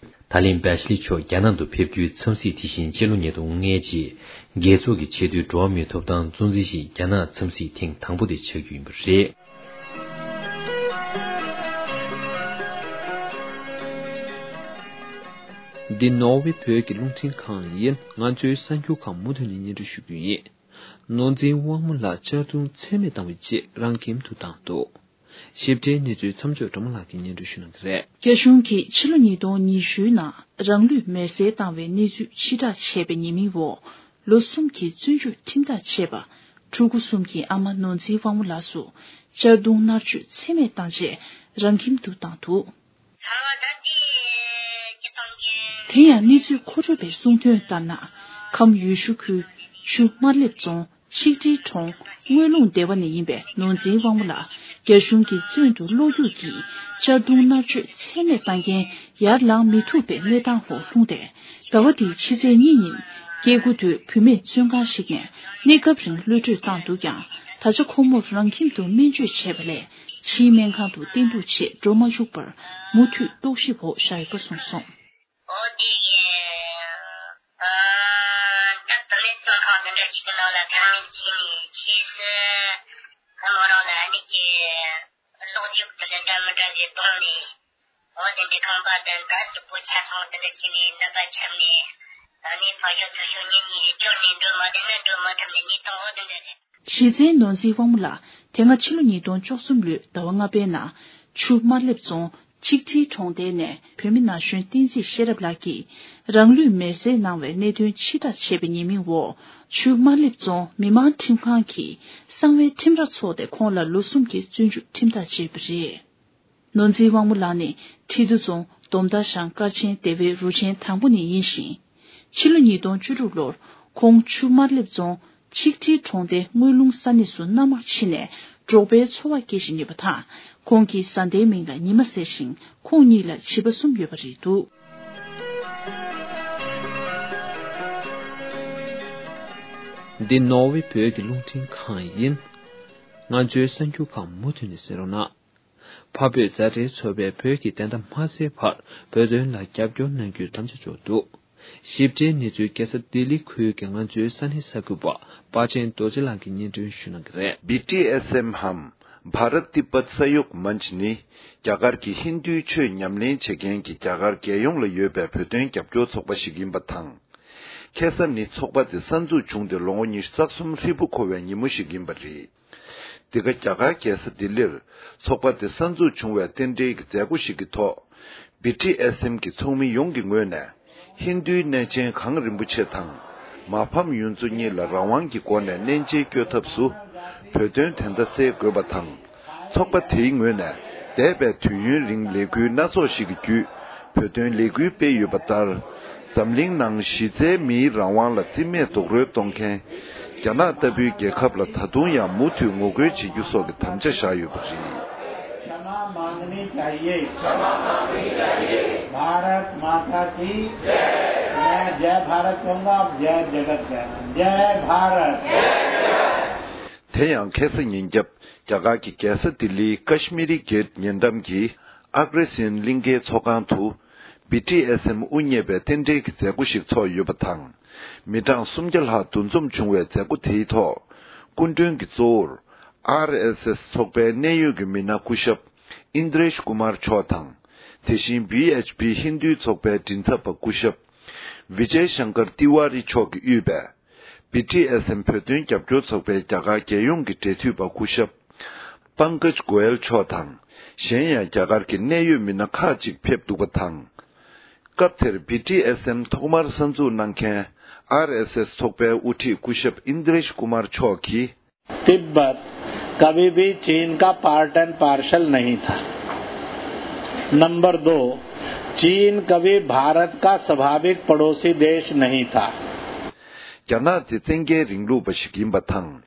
ད་ལན་བྷེ་ཤི་ལི་མཆོག་རྒྱ་ནག་ཏུ་ཕེབས་རྒྱུའི་འཚམས་གཟིགས་དེ་བཞིན་སྤྱི་ལོ་ཉིས་སྟོང་ལྔའི་རྗེས་རྒྱལ་ཚོགས་ཀྱི་ཆེས་མཐོའི་འགྲོ་བ་མིའི་ཐོབ་ཐང་གཙོ་འཛིན་ཞིག་རྒྱ་ནག་འཚམས་གཟིགས་ཐེངས་དང་པོ་དེ་ཆགས་རྒྱུ་ཡིན་པ་རེད། འདི་ནོར་ཝེ་བོད་ཀྱི་རླུང་འཕྲིན་ཁང་ཡིན། ང་ཚོའི་གསར་འགྱུར་ཁག་མུ་མཐུད་ནས་སྙན་སྒྲོན་ཞུ་རྒྱུ་ཡིན། ནོར་འཛིན་དབང་མོ་ལགས་གཅར་རྡུང་ཚད་མེད་བཏང་བའི་རྗེས་རང་ཁྱིམ་དུ་བཏང་འདུག། ཞིབ་ཕྲའི་གནས་ཚུལ་མཚམས་འཇོག་སྒྲོལ་མ་ལགས་ཀྱིས་སྙན་སྒྲོན་ཞུ་གནང་གི་རེད། རྒྱ་གཞུང་གིས་ཕྱི་ལོ་ཉིས་སྟོང་ཉི་ཤུའི་ནང་རང་ལུས་མེར་སྲེག་བཏང་བའི་གནས་ཚུལ་ཕྱིར་བསྒྲགས་བྱས་པའི་ཉེས་མིང་འོག་ལོ་གསུམ་གྱི་བཙོན་འཇུག་ཁྲིམས་ཐག་བཅད་པ། ཕྲུ་གུ་གསུམ་གྱི་ཨ་མ་ནོར་འཛིན་དབང་མོ་ལགས་སུ་གཅར་རྡུང་མནར་གཅོད་ཚད་མེད་བཏང་རྗེས་རང་ཁྱིམ་དུ་བཏང་འདུག་དེ་ཡང་གནས་ཚུལ་མཁོ་སྤྲོད་པས་གསུངས་དོན་ལྟར་ན། ཁམས་ཡུལ་ཤུལ་ཁུལ་ཆུ་དམར་ལེབ་རྫོང་ཆིག་ཁྲིའི་གྲོང་དངུལ་ལུང་སྡེ་བ་ནས་ཡིན་པའི་ནོར་འཛིན་དབང་མོ་ལགས་རྒྱ་གཞུང་གིས་བཙོན་དུ་ལོག་རྒྱུ་གྱིས་གཅར་རྡུང་མནར་གཅོད་ཚད་མེད་བཏང་རྐྱེན་ཡར་ལངས་མི་ཐུབ་པའི་གནས་སྟངས་འོག་ལྷུང་སྟེ། ཟླ་བ་འདིའི་ཕྱི་ཚེས་གཉིས་ཉིན་སྐྱེ་དགུ་དོད་བུད་མེད་བཙོན་ཁང་ཞིག་ནས་གནས་སྐབས་རིང་གློད་བཀྲོལ་བཏང་འདུག་ཀྱང་། ད་ཆ་ཁོ་མོར་རང་ཁྱིམ་དུ་སྨན་བཅོས་བྱས་པ་ལས་ཕྱིའི་སྨན་ཁང་དུ་བསྟེན་གཏུགས་བྱེད་འགྲོ་མ་བཅུག་པར་མུ་མཐུད་རྟོག་ཞིབ་འོག་བཞག་ཡོད་པ་གསུངས་སོང་། འོ་དེ་ཡིན། ཨ། ད་བུད་མེད་བཙོན་ཁང་འདི་འདྲ་ཅིག་གི་ནང་ལ་ཁ་ངན་བྱས་ནས་ཁྱེད་སུ་ཁོ་མོ་རང་ལ་ཨ་ནི་ཀྱི་གློག་རྒྱུག་དེ་འདྲ་འདྲ་མི་འདྲ་ཞིག་བཏང་ནས། འོ་དེ་འདྲའི་ཁང་པ་དེ་འདྲ་ཞིག་པོ་ཆ་ཚང་དེ་འདྲ་བྱས་ནས་ནད་པ་ཁྱེར་ནས་ཨ་ནི་ཕ་ཡུལ་སོ་སོ་ཉིན་གཉིས་རེ་སྐྱོར་ནས་འགྲོ་མ་བསྡད་ན་འགྲོ་མ་ཐུབ་ནས་གནས་སྟངས་འོ་དེ་འདྲ་རེད། གཞི་རྩའི་ནོར་འཛིན་དབང་མོ་ལགས་དེ་སྔ་ཕྱི་ལོ་ཉིས་སྟོང་བཅུ་གསུམ་ལོའི་ཟླ་བ་ལྔ་པའི་ནང་ཆུ་དམར་ལེབ་རྫོང་ཆིག་ཁྲིའི་གྲོང་རྡལ་ནས་བོད་མི་ན་གཞོན་བསྟན་འཛིན་ཤེས་རབ་ལགས་ཀྱིས་རང་ལུས་མེར་སྲེག་གནང་བའི་གནད་དོན་ཕྱིར་བསྒྲགས་བྱས་པའི་ཉེས་མིང་འོག་ཆུ་དམར་ལེབ་རྫོང་མི་དམངས་ཁྲིམས་ཁང་གིས་གསང་བའི་ཁྲིམས་ར་འཚོགས་ཏེ་ཁོང་ལ་ལོ་གསུམ་གྱི་བཙོན་འཇུག་ཁྲིམས་ཐག་བཅད་པ་རེད། ནོར་འཛིན་དབང་མོ་ལགས་ནི་ཁྲི་འདུ་རྫོང་དོམ་མདའ་ཤང་དཀར་ཆེན་སྡེ་བའི་རུ་ཆེན་དང་པོ་ནས་ཡིན་ཞིང་། ཕྱི་ལོ་ཉིས་སྟོང་བཅུ་དྲུག་ལོར་ཁོང་ཆུ་དམར་ལེབ་རྫོང་ཆིག་ཁྲིའི་གྲོང་སྡེ་དངུལ་ལུང་ས་གནས་སུ་མནའ་མར་ཕྱིན་ནས་འབྲོག་པའི་འཚོ་བ་སྐྱེལ་བཞིན་ཡོད་པ་དང་། ཁོང་གི་བཟའ་ཟླའི་མིང་ལ་ཉི་མ་ཟེར་ཞིང་། ཁོང་གཉིས་ལ་བྱིས་པ་གསུམ་ཡོད་པ་རེད་འདུག་འདི་ནོར་ཝེ་བོད་ཀྱི་རླུང་འཕྲིན་ཁང་ཡིན། ང་ཚོའི་གསར་འགྱུར་ཁག་མུ་མཐུད་ནས་གསན་རོགས་གནང་། འཕགས་བོད་མཛའ་འབྲེལ་ཚོགས་པས་བོད་ཀྱི་བདེན་མཐའ་མ་གསལ་བར་བོད་དོན་ལ་རྒྱབ་སྐྱོར་གནང་རྒྱུའི་དམ་བཅའ་འཇོག་འདུག་ཞིབ་ཕྲའི་གནས་ཚུལ་རྒྱལ་ས་ལྡི་ལི་ཁུལ་གྱི་ང་ཚོའི་ས་གནས་གསར་འགོད་པ་དཔའ་ཆེན་རྡོ་རྗེ་ལགས་ཀྱིས་སྙན་སྒྲོན་ཞུ་གནང་གི་རེད། བི་ཊི་ཨེས་ཨེམ་འམ་བྷ་རཏ་ཏི་པད་ས་ཡོག་མཉྩ་ནི་རྒྱ་གར་གྱི་ཧིན་རྡུའི་ཆོས་ཉམས་ལེན་བྱེད་མཁན་གྱི་རྒྱ་གར་རྒྱལ་ཡོངས་ལ་ཡོད་པའི་བོད་དོན་རྒྱབ་སྐྱོར་ཚོགས་པ་ཞིག་ཡིན་པ་དང་། ཁ་སང་ནི་ཚོགས་པ་དེ་གསར་འཛུགས་བྱུང་སྟེ་ལོ་ངོ་ཉི་ཤུ་རྩ་གསུམ་ཧྲིལ་པོ་འཁོར་བའི་ཉིན་མོ་ཞིག་ཡིན་པ་རེད། འདི་ག་རྒྱ་གར་རྒྱལ་ས་ལྡི་ལིར་ཚོགས་པ་དེ་གསར་འཛུགས་བྱུང་བའི་རྟེན་འབྲེལ་གྱི་མཛད་སྒོ་ཞིག་གི་ཐོག་བི་ཊི་ཨེས་ཨེམ་གྱི་ཚོགས་མི་ཡོངས་ཀྱི་ངོས་ནས་ཧིན་རྡུའི་གནས་ཆེན་གངས་རིན་པོ་ཆེ་དང་མ་ཕམ་ཡུལ་ཚོ་གཉིས་ལ་རང་དབང་གི་སྒོ་ནས་གནས་མཇལ་སྐྱོད་ཐབས་སུ་བོད་དོན་དོན་དག་སེལ་དགོས་པ་དང་། ཚོགས་པ་དེའི་ངོས་ནས་འདས་པའི་དུས་ཡུན་རིང་ལས་འགུལ་སྣ་ཚོགས་ཤིག་གི་བརྒྱུད་བོད་དོན་ལས་འགུལ་སྤེལ་ཡོད་པ་ལྟར། འཛམ་གླིང་ནང་གཞི་རྩའི་མིའི་རང་དབང་ལ་རྩིས་མེད་རྡོག་རོལ་གཏོང་མཁན་རྒྱ་ནག་ལྟ་བུའི་རྒྱལ་ཁབ་ལ་ད་དུང་ཡང་མུ་མཐུད་ངོ་རྒོལ་བྱེད་རྒྱུ་སོགས་ཀྱི་དམ་བཅའ་བཞག་ཡོད་པ་རེད། क्षमा मांगनी चाहिए। क्षमा मांगनी चाहिए। भारत माता की जय। मैं जय भारत कहूंगा, आप जय जगत कहना। जय भारत। དེ་ཡང་ཁ་སང་ཉིན་རྒྱབ་རྒྱ་གར་གྱི་རྒྱལ་ས་ལྡི་ལིའི་ཀ་ཤི་མི་རི་གྷེ་ཊི་ཉེ་འགྲམ་གྱི་ཨག་རེ་སིན་གླིང་ཁའི་ཚོགས་ཁང་དུ་བི་ཊི་ཨེས་ཨེམ་དབུ་བརྙེས་པའི་རྟེན་འབྲེལ་གྱི་མཛད་སྒོ་ཞིག་ཚོགས་ཡོད་པ་དང་། མི་གྲངས་སུམ་བརྒྱ་ལྷག་འདུ་འཛོམས་བྱུང་བའི་མཛད་སྒོ་དེའི་ཐོག་སྐུ་མགྲོན་གྱིས་གཙོ་བོར་ཨར་ཨེས་ཨེས་ཚོགས་པའི་གནད་ཡོད་ཀྱི་མི་སྣ་སྐུ་ཞབས་ཨིན་དྲེཤ་ཀུ་མར་མཆོག་དང་། དེ་བཞིན་བི་ཨེཆ་པི་ཧིན་རྡུའི་ཚོགས་པའི་མགྲིན་ཚབ་པ་སྐུ་ཞབས་ཝི་ཇེ་ཤང་ཀར་ཏི་ཝཱ་རི་མཆོག་གིས་དབུས་པའི་བི་ཊི་ཨེས་ཨེམ་བོད་དོན་རྒྱབ་སྐྱོར་ཚོགས་པའི་རྒྱ་གར་རྒྱལ་ཡོངས་ཀྱི་འབྲེལ་མཐུད་པ་སྐུ་ཞབས་པང་ཀཇ་གོ་ཡལ་མཆོག་དང་། གཞན་ཡང་རྒྱ་གར་གྱི་གནད་ཡོད་མི་སྣ་ཁག་ཅིག་ཕེབས་འདུག་པ་དང་། སྐབས་དེར་བི་ཊི་ཨེས་ཨེམ་ཐོག་མར་གསར་འཛུགས་གནང་མཁན་ཨར་ཨེས་ཨེས་ཚོགས་པའི་དབུ་ཁྲིད་སྐུ་ཞབས་ཨིན་དྲེཤ་ཀུ་མར་མཆོག་གིས། तिब्बत कभी भी चीन का पार्ट एंड पार्सल नहीं था। नंबर दो, चीन कभी भारत का स्वाभाविक पड़ोसी देश नहीं था। རྒྱ་ནག་དེ་བཙན་རྒྱལ་རིང་ལུགས་པ་ཞིག་ཡིན་པ་དང་།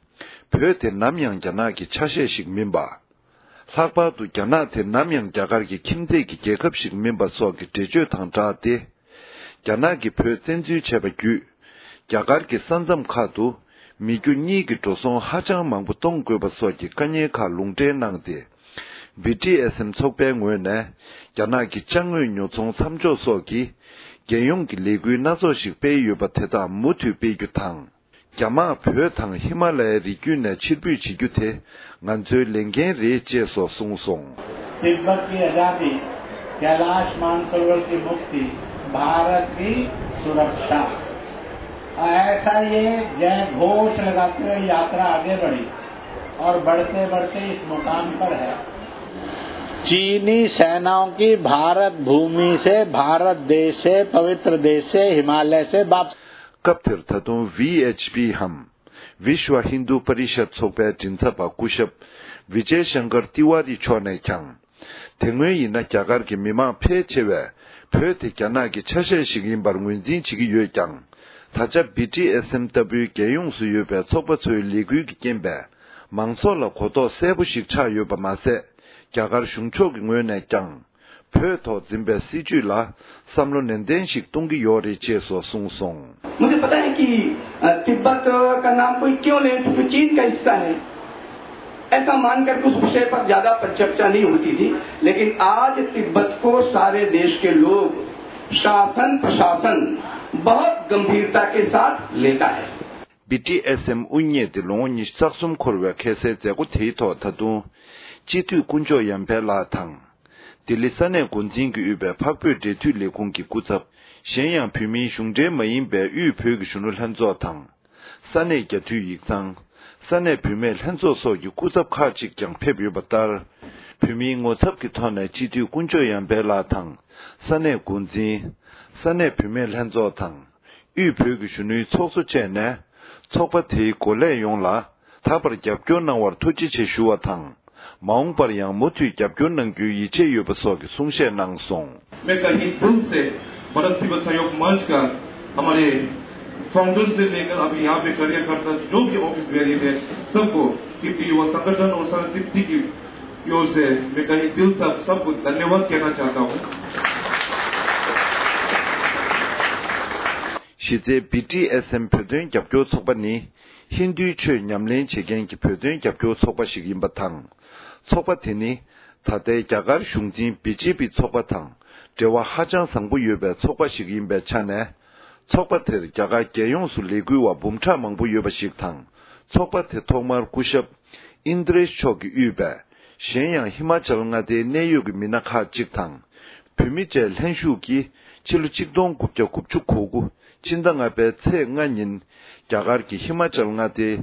བོད་དེ་ནམ་ཡང་རྒྱ་ནག་གི་ཆ་ཤས་ཤིག་མིན་པ། ལྷག་པར་དུ་རྒྱ་ནག་དེ་ནམ་ཡང་རྒྱ་གར་གྱི་ཁྱིམ་མཚེས་ཀྱི་རྒྱལ་ཁབ་ཞིག་མིན་པ་སོགས་ཀྱི་འགྲེལ་བརྗོད་དང་སྦྲགས་ཏེ། རྒྱ་ནག་གིས་བོད་བཙན་འཛུལ་བྱས་པ་བརྒྱུད། རྒྱ་གར་གྱི་ས་མཚམས་ཁག་ཏུ་མི་རྒྱུ་གཉིས་ཀྱི་འགྲོ་སོང་ཧ་ཅང་མང་པོ་གཏོང་དགོས་པ་སོགས་ཀྱི་དཀའ་ངལ་ཁག་ལུང་འདྲེན་གནང་སྟེ། བི་ཊི་ཨེས་ཨེམ་ཚོགས་པའི་ངོས་ནས་རྒྱ་ནག་གི་ཅ་དངོས་ཉོ་ཚོང་མཚམས་འཇོག་སོགས་ཀྱི་རྒྱལ་ཡོངས་ཀྱི་ལས་འགུལ་སྣ་ཚོགས་ཤིག་སྤེལ་ཡོད་པ་དེ་དག་མུ་མཐུད་སྤེལ་རྒྱུ་དང་། རྒྱ་དམག་བོད་དང་ཧི་མ་ལ་ཡའི་རི་རྒྱུད་ནས་ཕྱིར་འབུད་བྱེད་རྒྱུ་དེ་ང་ཚོའི་ལས་འགན་རེད་ཅེས་སོགས་གསུངས་སོང་། तिब्बत की आजादी, कैलाश मानसरोवर की मुक्ति भारत की सुरक्षा। ऐसा ये जय घोष लगाते हुए यात्रा आगे बढ़ी और बढ़ते बढ़ते इस मुकाम पर है। चीनी सेनाओं की भारत भूमि से, भारत देश से, पवित्र देश से, हिमालय से वापस। སྐབས་དེར་ད་དུང་ཝི་ཨེཆ་པི་འམ། Vishwa Hindu Parishad ཚོགས་པའི་མགྲིན་ཚབ་པ་སྐུ་ཞབས་ཝི་ཇེ་ཤང་ཀར་ཏི་ཝཱ་རི་མཆོག་ནས་ཀྱང་། དེ་སྔོན་ཡིན་ན་རྒྱ་གར་གྱི་མི་མང་ཕལ་ཆེ་བས་བོད་དེ་རྒྱ་ནག་གི་ཆ་ཤས་ཤིག་ཡིན་པར་ངོས་འཛིན་བྱེད་ཀྱི་ཡོད་ཀྱང་། ད་ཆ་བི་ཊི་ཨེས་ཨེམ་ལྟ་བུའི་རྒྱལ་ཡོངས་སུ་ཡོད་པའི་ཚོགས་པ་ཚོའི་ལས་འགུལ་གྱི་རྐྱེན་པས། མང་ཚོགས་ལ་གོ་རྟོགས་གསལ་པོ་ཞིག་ཆགས་ཡོད་པ་མ་ཟད། རྒྱ་གར་གཞུང་ཕྱོགས་ཀྱི་ངོས་ནས་ཀྱང་། བོད་ཐོག་འཛིན་པའི་སྲིད་བྱུས་ལ་བསམ་བློ་ནན་ཏན་ཞིག་གཏོང་གི་ཡོད་རེད་ཅེས་སོགས་གསུངས་སོང་། मुझे पता है कि, अ, तिब्बत का नाम कोई क्यों ले, क्योंकि चीन का हिस्सा है। ऐसा मानकर उस विषय पर ज्यादा चर्चा नहीं होती थी, लेकिन आज तिब्बत को सारे देश के लोग, शासन प्रशासन बहुत गंभीरता के साथ लेता है। བི་ཊི་ཨེས་ཨེམ་དབུ་བརྙེས་ཏེ་ལོ་ངོ་ཉི་ཤུ་རྩ་གསུམ་འཁོར་བའི་ཁ་སའི་མཛད་སྒོ་དེའི་ཐོག་ད་དུང་། སྤྱི་འཐུས་དཀོན་མཆོག་ཡར་འཕེལ་ལགས་དང་། ལྡི་ལི་ས་གནས་འགོ་འཛིན་གྱིས་དབུས་པའི་འཕགས་བོད་འབྲེལ་མཐུད་ལས་ཁུངས་ཀྱི་སྐུ་ཚབ། གཞན་ཡང་བོད་མིའི་གཞུང་འབྲེལ་མ་ཡིན་པའི་དབུས་བོད་ཀྱི་གཞོན་ནུ་ལྷན་ཚོགས་དང་། ས་གནས་རྒྱ་འཐུས་ཡིག་ཚང་། ས་གནས་བུད་མེད་ལྷན་ཚོགས་སོགས་ཀྱི་སྐུ་ཚབ་ཁག་ཅིག་ཀྱང་ཕེབས་ཡོད་པ་ལྟར། བོད་མིའི་ངོ་ཚབ་ཀྱི་ཐོག་ནས་སྤྱི་འཐུས་དཀོན་མཆོག་ཡར་འཕེལ་ལགས་དང་། ས་གནས་འགོ་འཛིན། ས་གནས་བུད་མེད་ལྷན་ཚོགས་དང་། དབུས་བོད་ཀྱི་གཞོན་ནུའི་ཚོགས་གཙོ་བཅས་ནས། ཚོགས་པ་དེའི་འགོ་ལས་ཡོངས་ལ། ད་བར་རྒྱབ་སྐྱོར་གནང་བར་ཐུགས་རྗེ་ཆེ་ཞུ་བ་དང་། མ་འོངས་པར་ཡང་མུ་མཐུད་རྒྱབ་སྐྱོར་གནང་རྒྱུའི་ཡིད་ཆེས་ཡོད་པ་སོགས་ཀྱི་གསུང་བཤད་གནང་སོང་། मैं कहीं दिल से भारत तिब्बत सहयोग मंच का हमारे फाउंडर से लेकर अभी यहाँ पे कार्यकर्ता जो भी ऑफिस बेरियर है, सबको तिब्बती युवा संगठन और संघ तिब्बती की ओर से मैं कहीं दिल से आप सबको धन्यवाद कहना चाहता हूँ। གཞི་རྩའི་བི་ཊི་ཨེས་ཨེམ་བོད་དོན་རྒྱབ་སྐྱོར་ཚོགས་པ་ནི། ཧིན་རྡུའི་ཆོས་ཉམས་ལེན་བྱེད་མཁན་གྱི་བོད་དོན་རྒྱབ་སྐྱོར་ཚོགས་པ་ཞིག་ཡིན་པ་དང་། ཚོགས་པ་དེ་ནི། ད་ལྟའི་རྒྱ་གར་གཞུང་འཛིན་བི་ཇེ་པི་ཚོགས་པ་དང་འབྲེལ་བ་ཧ་ཅང་བཟང་པོ་ཡོད་པའི་ཚོགས་པ་ཞིག་ཡིན་པའི་ཆ་ནས། ཚོགས་པ་དེར་རྒྱ་གར་རྒྱལ་ཡོངས་སུ་ལས་འགུལ་བ་འབུམ་ཕྲག་མང་པོ་ཡོད་པ་ཞིག་དང་། ཚོགས་པ་དེ་ཐོག་མར་སྐུ་ཞབས་ཨིན་དྲེཤ་མཆོག་གིས་དབུས་པའི། གཞན་ཡང་ཧི་མ་ཅལ་མངའ་སྡེའི་གནད་ཡོད་ཀྱི་མི་སྣ་ཁག་ཅིག་དང་། བོད་མི་བཅས་ལྷན་ཞུགས་ཀྱིས་ཕྱི་ལོ་ཆིག་སྟོང་དགུ་བརྒྱ་དགུ་བཅུ་གོ་དགུ་ཕྱི་ཟླ་ལྔ་པའི་ཚེས་ལྔ་ཉིན། རྒྱ་གར་གྱི་ཧི་མ་ཅལ་མངའ་སྡེའི་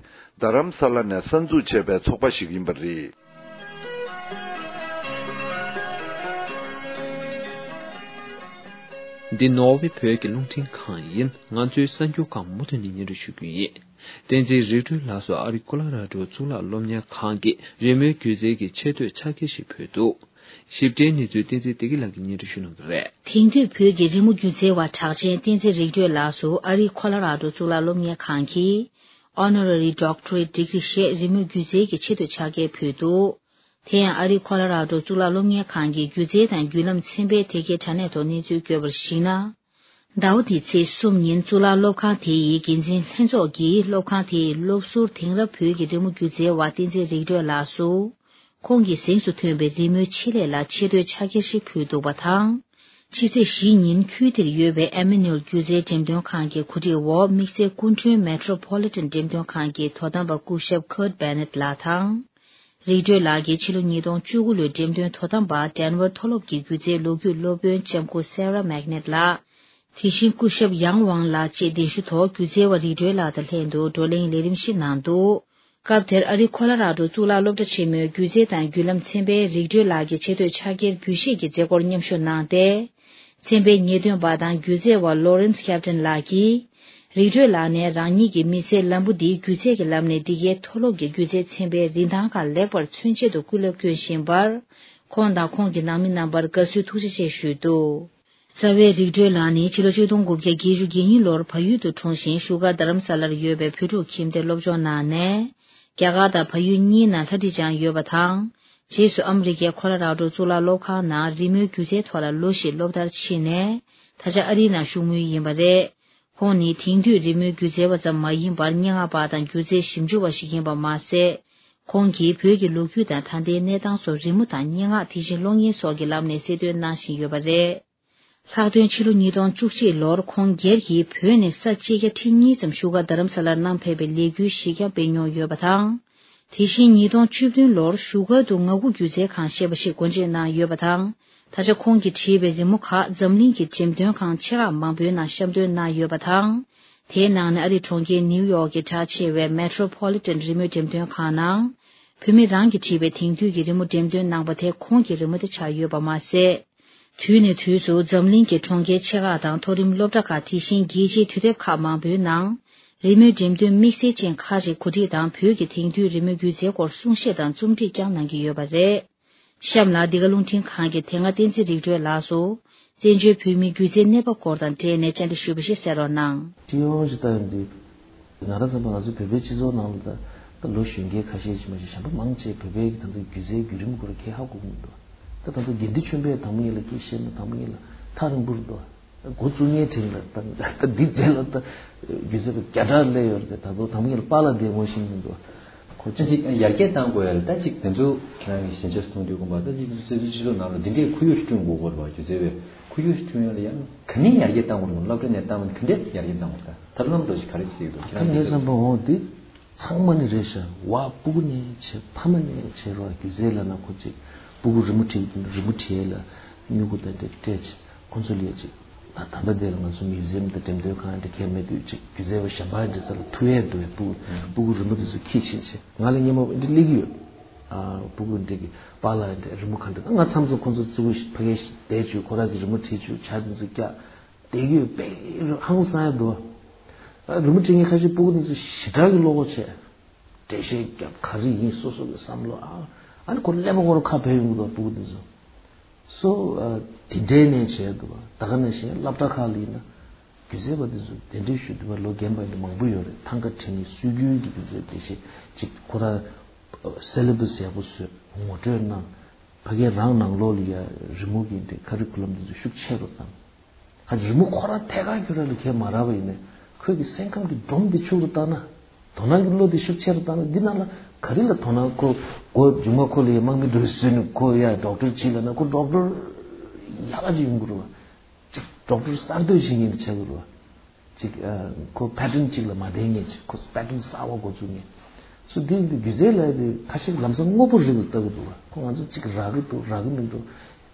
རྡ་རམ་ས་ལ་ནས་གསར་འཛུགས་བྱས་པའི་ཚོགས་པ་ཞིག་ཡིན་པ་རེད། འདི་ནོར་ཝེ་བོད་ཀྱི་རླུང་འཕྲིན་ཁང་ཡིན། ང་ཚོའི་གསར་འགྱུར་ཁག་མུ་མཐུད་ནས་སྙན་སྒྲོན་ཞུ་རྒྱུ་ཡིན། བསྟན་འཛིན་རིག་སྒྲོལ་ལགས་སུ་ཨ་རི་ཀོ་ལོ་ར་ཌོ་གཙུག་ལག་སློབ་གཉེར་ཁང་གིས་རི་མོའི་སྒྱུ་རྩལ་གྱི་ཆེ་བསྟོད་ཕྱག་འཁྱེར་ཞིག་ཕུལ་འདུག། ཞིབ་ཕྲའི་གནས་ཚུལ་བསྟན་འཛིན་བདེ་སྐྱིད་ལགས་ཀྱིས་སྙན་སྒྲོན་ཞུ་གནང་གི་རེད། དེང་དུས་བོད་ཀྱི་རི་མོ་སྒྱུ་རྩལ་བ་གྲགས་ཅན་བསྟན་འཛིན་རིག་སྒྲོལ་ལགས་སུ་ཨ་རིའི་ཁོ་ལོ་ར་ཌོ་གཙུག་ལག་སློབ་གཉེར་ཁང་གིས་Honorary Doctorate Degree ཞེས་རི་མོ་སྒྱུ་རྩལ་གྱི་ཆེ་བསྟོད་ཕྱག་འཁྱེར་ཕུལ་འདུག། དེ་ཡང་ཨ་རིའི་ཁོ་ལོ་ར་ཌོ་གཙུག་ལག་སློབ་གཉེར་ཁང་གི་སྒྱུ་རྩལ་དང་བརྒྱུད་ལམ་ཚན་པའི་དེབ་སྐྱེལ་དྲ་གནས་ཐོག་གནས་ཚུལ་བཀོད་པར་གཞིགས་ན། ཟླ་བ་འདིའི་ཚེས་གསུམ་ཉིན་གཙུག་ལག་སློབ་ཁང་དེ་ཡི་འགན་འཛིན་ལྷན་ཚོགས་ཀྱིས་སློབ་ཁང་དེའི་སློབ་ཟུར་དེང་རབས་བོད་ཀྱི་རི་མོ་སྒྱུ་རྩལ་བ་བསྟན་འཛིན་རིག་སྒྲོལ་ལགས་སུ། ཁོང་གི་གཟེངས་སུ་ཐོན་པའི་རི་མོའི་ཆེད་ལས་ལ་ཆེ་བསྟོད་ཕྱག་འཁྱེར་ཞིག་ཕུལ་འདུག་པ་དང་། ཕྱི་ཚེས་བཞི་ཉིན་ཁུལ་དེར་ཡོད་པའི་ཨེ་མི་ནུ་ཨེལ་སྒྱུ་རྩལ་འགྲེམས་སྟོན་ཁང་གི་གོ་སྒྲིག་འོག་དམིགས་བསལ་སྐུ་མགྲོན་མེ་ཊོ་པོ་ལི་ཊན་འགྲེམས་སྟོན་ཁང་གི་དོ་དམ་པ་སྐུ་ཞབས་ཁར་ཊི་བྷེ་ནེ་ཊི་ལགས་དང་། རིག་སྒྲོལ་ལགས་ཀྱིས་ཕྱི་ལོ་ཉིས་སྟོང་བཅུ་དགུ་ལོའི་འགྲེམས་སྟོན་དོ་དམ་པ་ཌེན་ཝར་མཐོ་སློབ་ཀྱི་སྒྱུ་རྩལ་ལོ་རྒྱུས་སློབ་དཔོན་ལྕམ་སྐུ་སེ་ར་མེག་ནེ་ཊི་ལགས། དེ་བཞིན་སྐུ་ཞབས་ཡང་ཝང་ལགས་བཅས་གདན་ཞུ་ཐོག་སྒྱུ་རྩལ་བ་རིག་སྒྲོལ་ལགས་དང་ལྷན་དུ་བགྲོ་གླེང་ལས་རིམ་ཞིག་གནང་འདུག། སྐབས་དེར་ཨ་རིའི་ཁོ་ལོ་ར་ཌོ་གཙུག་ལག་སློབ་གྲྭ་ཆེན་མོའི་སྒྱུ་རྩལ་དང་བརྒྱུད་ལམ་ཚན་པས་རིག་སྒྲོལ་ལགས་ཀྱི་ཆེ་བསྟོད་ཕྱག་འཁྱེར་འབུལ་བཞེས་ཀྱི་མཛད་སྒོར་མཉམ་ཞུགས་གནང་སྟེ། ཚན་པའི་ཉེས་དོན་པ་དང་སྒྱུ་རྩལ་བ་ལོ་རེན་སི་ཁེབ་ཏན་ལགས་ཀྱིས། རིག་སྒྲོལ་ལགས་ནས་རང་ཉིད་ཀྱི་མི་ཚེའི་ལམ་བུ་འདི་སྒྱུ་རྩལ་གྱི་ལམ་ནས་འདི་གའི་མཐོ་སློབ་ཀྱི་སྒྱུ་རྩལ་ཚན་པའི་རིན་ཐང་ཁག་ལེགས་པར་མཚོན་ཆེད་དུ་སྐུ་ལས་བསྐྱོན་བཞིན་པར། ཁོང་དང་ཁོང་གི་ནང་མི་རྣམ་པར་དགའ་བསུའི་ཐུགས་རྗེ་ཆེ་ཞུས་འདུག། རྩ་བའི་རིག་སྒྲོལ་ལགས་ནི་ཕྱི་ལོ་ཆིག་སྟོང་དགུ་བརྒྱ་བརྒྱད་ཅུ་གྱ་གཉིས་ལོར་བལ་ཡུལ་དུ་འཁྲུངས་ཤིང་བཞུགས་སྒར་རྡ་རམ་ས་ལར་ཡོད་པའི་བོད་ཕྲུག་ཁྱིམ་སྡེར་སློབ་སྦྱོང་གནང་ནས། རྒྱ་གར་དང་བལ་ཡུལ་གཉིས་ནང་ལྷ་ཁྲིད་སྦྱངས་ཡོད་པ་དང་། རྗེས་སུ་ཨ་མི་རི་ཀའི་ཁོ་ལོ་ར་ཌོ་གཙུག་ལག་སློབ་ཁང་ནང་རི་མོའི་སྒྱུ་རྩལ་ཐོག་ལ་ལོ་བཞི་སློབ་མཐར་ཕྱིན་ནས། ད་ཆ་ཨ་རིའི་ནང་བཞུགས་མུས་ཡིན་པ་རེད། ཁོང་ནི་དེང་དུས་རི་མོའི་སྒྱུ་རྩལ་བ་ཙམ་མ་ཡིན་པར་སྙན་ངག་པ་དང་སྒྱུ་རྩལ་ཞིབ་འཇུག་པ་ཞིག་ཡིན་པ་མ་ཟད། ཁོང་གིས་བོད་ཀྱི་ལོ་རྒྱུས་དང་ད་ལྟའི་གནས་སྟངས་སོགས་རི་མོ་དང་སྙན་ངག་དེ་བཞིན་གློག་བརྙན་སོགས་ཀྱི་ལམ་ནས་གསལ་སྟོན་གནང་བཞིན་ཡོད་པ་རེད། ལྷག་དོན་ཕྱི་ལོ་ཉིས་སྟོང་བཅུ་གཅིག་ལོར་ཁོང་སྒེར་གྱིས་བོད་ནས་ས་བཅད་བརྒྱ་ཁྲི་གཉིས་ཙམ་བཞུགས་སྒར་རྡ་རམ་ས་ལར་གནང་ཕེབས་པའི་ལས་འགུལ་གཞི་རྐྱང་སྤེལ་མྱོང་ཡོད་པ་དང་། དེ་བཞིན་ཉིས་སྟོང་བཅུ་བདུན་ལོར་བཞུགས་སྒར་དུ་ངག་དབང་སྒྱུ་རྩལ་ཁང་ཞེས་པ་ཞིག་སྒོ་འབྱེད་གནང་ཡོད་པ་དང་། ད་ཆ་ཁོང་གིས་བྲིས་པའི་རི་མོ་ཁག་འཛམ་གླིང་གི་འགྲེམས་སྟོན་ཁང་ཆེ་ཁག་མང་པོའི་ནང་བཤམས་སྟོན་གནང་ཡོད་པ་དང་། དེའི་ནང་ནས་ཨ་རིའི་གྲོང་ཁྱེར་ནིའུ་ཡོག་གི་གྲགས་ཆེ་བའི་མེ་ཊོ་པོ་ལི་ཊན་རི་མོའི་འགྲེམས་སྟོན་ཁང་ནང་། བུད་མེད་རང་གིས་བྲིས་པའི་དེང་དུས་ཀྱི་རི་མོ་འགྲེམས་སྟོན་གནང་པ་དེ་ཁོང་གི་རི་མོ་དེ་ཆགས་ཡོད་པ་མ་ཟད། དུས་ནས་དུས་སུ་འཛམ་གླིང་གི་གྲོང་ཁྱེར་ཆེ་ཁག་དང་མཐོ་རིམ་སློབ་གྲྭ་ཁག་དེ་བཞིན་རྒྱལ་སྤྱིའི་དུས་དེབ་ཁག་མང་པོའི་ནང་། རི་མོའི་འགྲེམས་སྟོན་དམིགས་བསལ་ཅན་ཁག་ཅིག་གོ་སྒྲིག་དང་བོད་ཀྱི་དེང་དུས་རི་མོའི་སྒྱུ་རྩལ་སྐོར་གསུང་བཤད་དང་རྩོམ་སྒྲིག་ཀྱང་གནང་གི་ཡོད་པ་རེད། གཤམ་ལ་འདི་ག་རླུང་འཕྲིན་ཁང་གི་དེ་སྔ་བསྟན་འཛིན་རིག་གྲོལ་ལགས་སུ། བཙན་བྱོལ་བོད་མིའི་སྒྱུ་རྩལ་གནས་བབ་སྐོར་དང་འབྲེལ་ནས་བཅར་འདྲི་ཞུས་པ་ཞིག་གསན་རོགས་གནང་། སྤྱི་ཡོངས་ཀྱི་ལྟ་ཡོང་དུས། ང་རང་བསམ་པ་ང་ཚོ་བོད་པའི་སྤྱི་ཚོགས་ནང་ལ་ད་ད་ལོ་གཞོན་སྐྱེས་ཁ་ཤས་ཤིག་མ་ཤེས་གཞན་པ་མང་ཆེ་བོད་པའི་གི་ད་ལྟ་སྒྱུ་རྩལ་བརྒྱུད་རིམ་སྐོར་གྱི་ཧ་གོ་གི་མི་འདུག་ད་ད་ལྟ་དགེ་འདུན་ཆོས་འཕེལ་དང་པོ་ཉིད་ལ་སྐད་བཤད་ན་དང་པོ་ཉིད་ལ་ཐག་རིང་པོར་འདུག་འགོ་བཙུགས་མཁན་དྲན་ལ་ད་ད་འདི་རྗེས་ལ་ད་སྒྱུ་རྩལ་པ་བརྒྱ་ཕྲག་སླེབས་ཡོད་རེད། ད་དུང་དང་པོ་ཉིད་ལ་པཱ་ལགས་འདིར་ངོ་ཤེས་མི་འདུག་ཁོ་ཅི་ཅིག་ཡར་རྒྱས་བཏང་དགོས་ཡ་ལ་ད་ཅིག་དེ་ཚོ་ཁྱེད་རང་གི་ཞན་ཆ་གསུང་དུས་དགོངས་པ་ད་ཅིག་སྤྱི་ཚོགས་ནང་ལ་འདི་འདྲའི་ཁོར་ཡུག་བསྐྲུན་དགོས་སྐོར་བ་སྒྱུ་རྩལ་བའི་ཁོར་ཡུག་བསྐྲུན་ཡ་ལ་ཡང་ག་ནས་ཡར་རྒྱས་བཏང་དགོས་རེད། སློབ་གྲྭ་ནས་བཏང་བ་ག་འདྲས་ཡར་རྒྱས་བཏང་དགོས་ད་ཐབས་ལམ་འགྲོ་ཞིག་ག་རེ་བྱེད་ཀྱི་འདུག་ཁྱེད་རང་ད་ངའི་བསམ་པ་འོ་འདི་ཚང་མ་ནི་རེད་ཤག་བ་སྤུ་གུ་ནས་བྱས་ཕ་མ་ནས་བྱས་རོགས་སྒྱུ་རྩལ་ལབ་ན་ཁོ་ཅིག་སྤུ་གུ་རི་མོ་བྲིས་རི་མོ་བྲིས་ཡ་ལ་སྨྱུ་གུ་དང་འདྲ་སྤྲད་ཅིག་ཁོ་ཚོ་ལ་ཡ་ཅིག་ད་ད་ལྟ་དེ་ལ་ང་ཚོ་མིའུ་ཛི་ཡམ་དང་འགྲེམས་སྟོན་ཁང་འདྲ་གལ་མེད་དུས་ཅིག་སྒྱུ་རྩལ་བ་གཞན་པ་འདྲ་ས་ལ་ཐུག་ཡས་འདུག་བས་སྤུ་གུ་སྤུ་གུ་རི་མོ་དེ་ཚོ་ཁྱི་ཕྱིན་ཆེ་ང་ལ་སྙན་མོ་འདི་སླེབས་ཀྱི་ཡོད། ཨ་སྤུ་གུ་འདྲ་གི་པཱ་ལགས་འདྲ་རི་མོ་ག་འདྲ་ང་མཚམས་མཚམས་ཁོ་ཚོ་གཙོ་བོ་ཕ་གིར་བསྡད་བཅུག་ཁོ་ར་ཚོ་རི་མོ་བྲིས་བཅུག་ཇ་དེ་ཚོ་བཀྱག་བསྡད་ཀྱི་ཡོད་པས་ཧང་སང་ཡ་འདུག་ཨ་རི་མོ་བྲིས་མཁན་ཁ་ཤས་སྤུ་གུ་དེ་ཚོ་ཞེ་དྲག་གི་བློ་ཁོག་ཆེ། འགྲེལ་བཤད་རྒྱབ་ག་རེ་ཡིན་སོ་སོ་གི་བསམ་བློ་ཨ་ཨ་ནི་ཁོ་ཀླད་པ་ཁོ་ར་ཁ་བབས་ཡོང་གི་འདུག་སྤུ་གུ་དེ་ཚོ། སོ་ཨ་དེ་འདྲའི་ནས་བྱས་འདུག་བ། ད་ག་ནང་བཞིན་སློབ་གྲྭ་ཁག་ལ་ཡིན་ན་སྒྱུ་རྩལ་པ་དེ་ཚོ་གདན་འདྲེན་ཞུ་འདུག་བ། ལོ་རྒན་པ་ཡིན་ན་མང་པོ་ཡོད་རེད། ཐང་ག་དྲན་ནས་སྲོལ་རྒྱུན་གྱི་དེ་ཚོའི་འགྲེལ་བཤད་ཅིག་ཁོ་ར་སེ་ལེ་བྷ་སི་ཡག་པོ་བཟོས་ངོ་སྤྲོད་གནང་། ཕ་གིའི་རང་ནང་ལོགས་ལ་ཡ་རི་མོ་གི་འདི་ཁ་རི་ཁུ་ལམ་དེ་ཚོ་ཤུགས་ཆེ་རུ་བཏང་། ཧ་ཅང་རི་མོ་ཁོ་རང་ཐད་ཀར་ཁྱོད་རང་ལ་ཁས་མ་རག་པ་ཡིན་ནའི་ཁོས་ཀྱི་སེམས་ཁམས་ཀྱི་སྒྲོམ་འདི་ཕྱུག་རུ་བཏང་ན། དོ་སྣང་གི་བློ་འདི་ཤུགས་ཆེ་རུ་བཏང་ན་འདི་ནང་ལ་ག་རེ་ལ་དོ་སྣང་ཁོ་མགོ་མཇུག་མ་ཁོ་ལ་ཡ་དམག་མི་འགྲོ་བཟོས་ནས་ཁོ་ཡ་ཌོག་ཊར་བྱེད་ལབ་ན་ཁོ་ཌོག་ཊར་ཡག་ག་ཅིག་ཡོང་གི་རེད་བ། ཅིག་ཌོག་ཊར་གསར་གཏོད་བྱེད་མཁན་དེ་བྱེད་དགོས་རེད་བ། ཅིག་ཨ་ཁོ་པེ་ཊན་ཅིག་ལ་མ་བསྡད་མཁན་ཅིག་ཁོ་པེ་ཊན་གསར་བ་འགོ་བཙུགས་མཁན། སོ་འདི་འདི་སྒྱུ་རྩལ་ལབ་དེ་ཁ་ཤས་ལམ་སང་དངོས་པོ་རིགས་ལ་ལྟ་གི་འདུག་བ། ཁོ་ང་ཚོ་ཅིག་རག་གི་འདུག་རག་གི་མི་འདུག་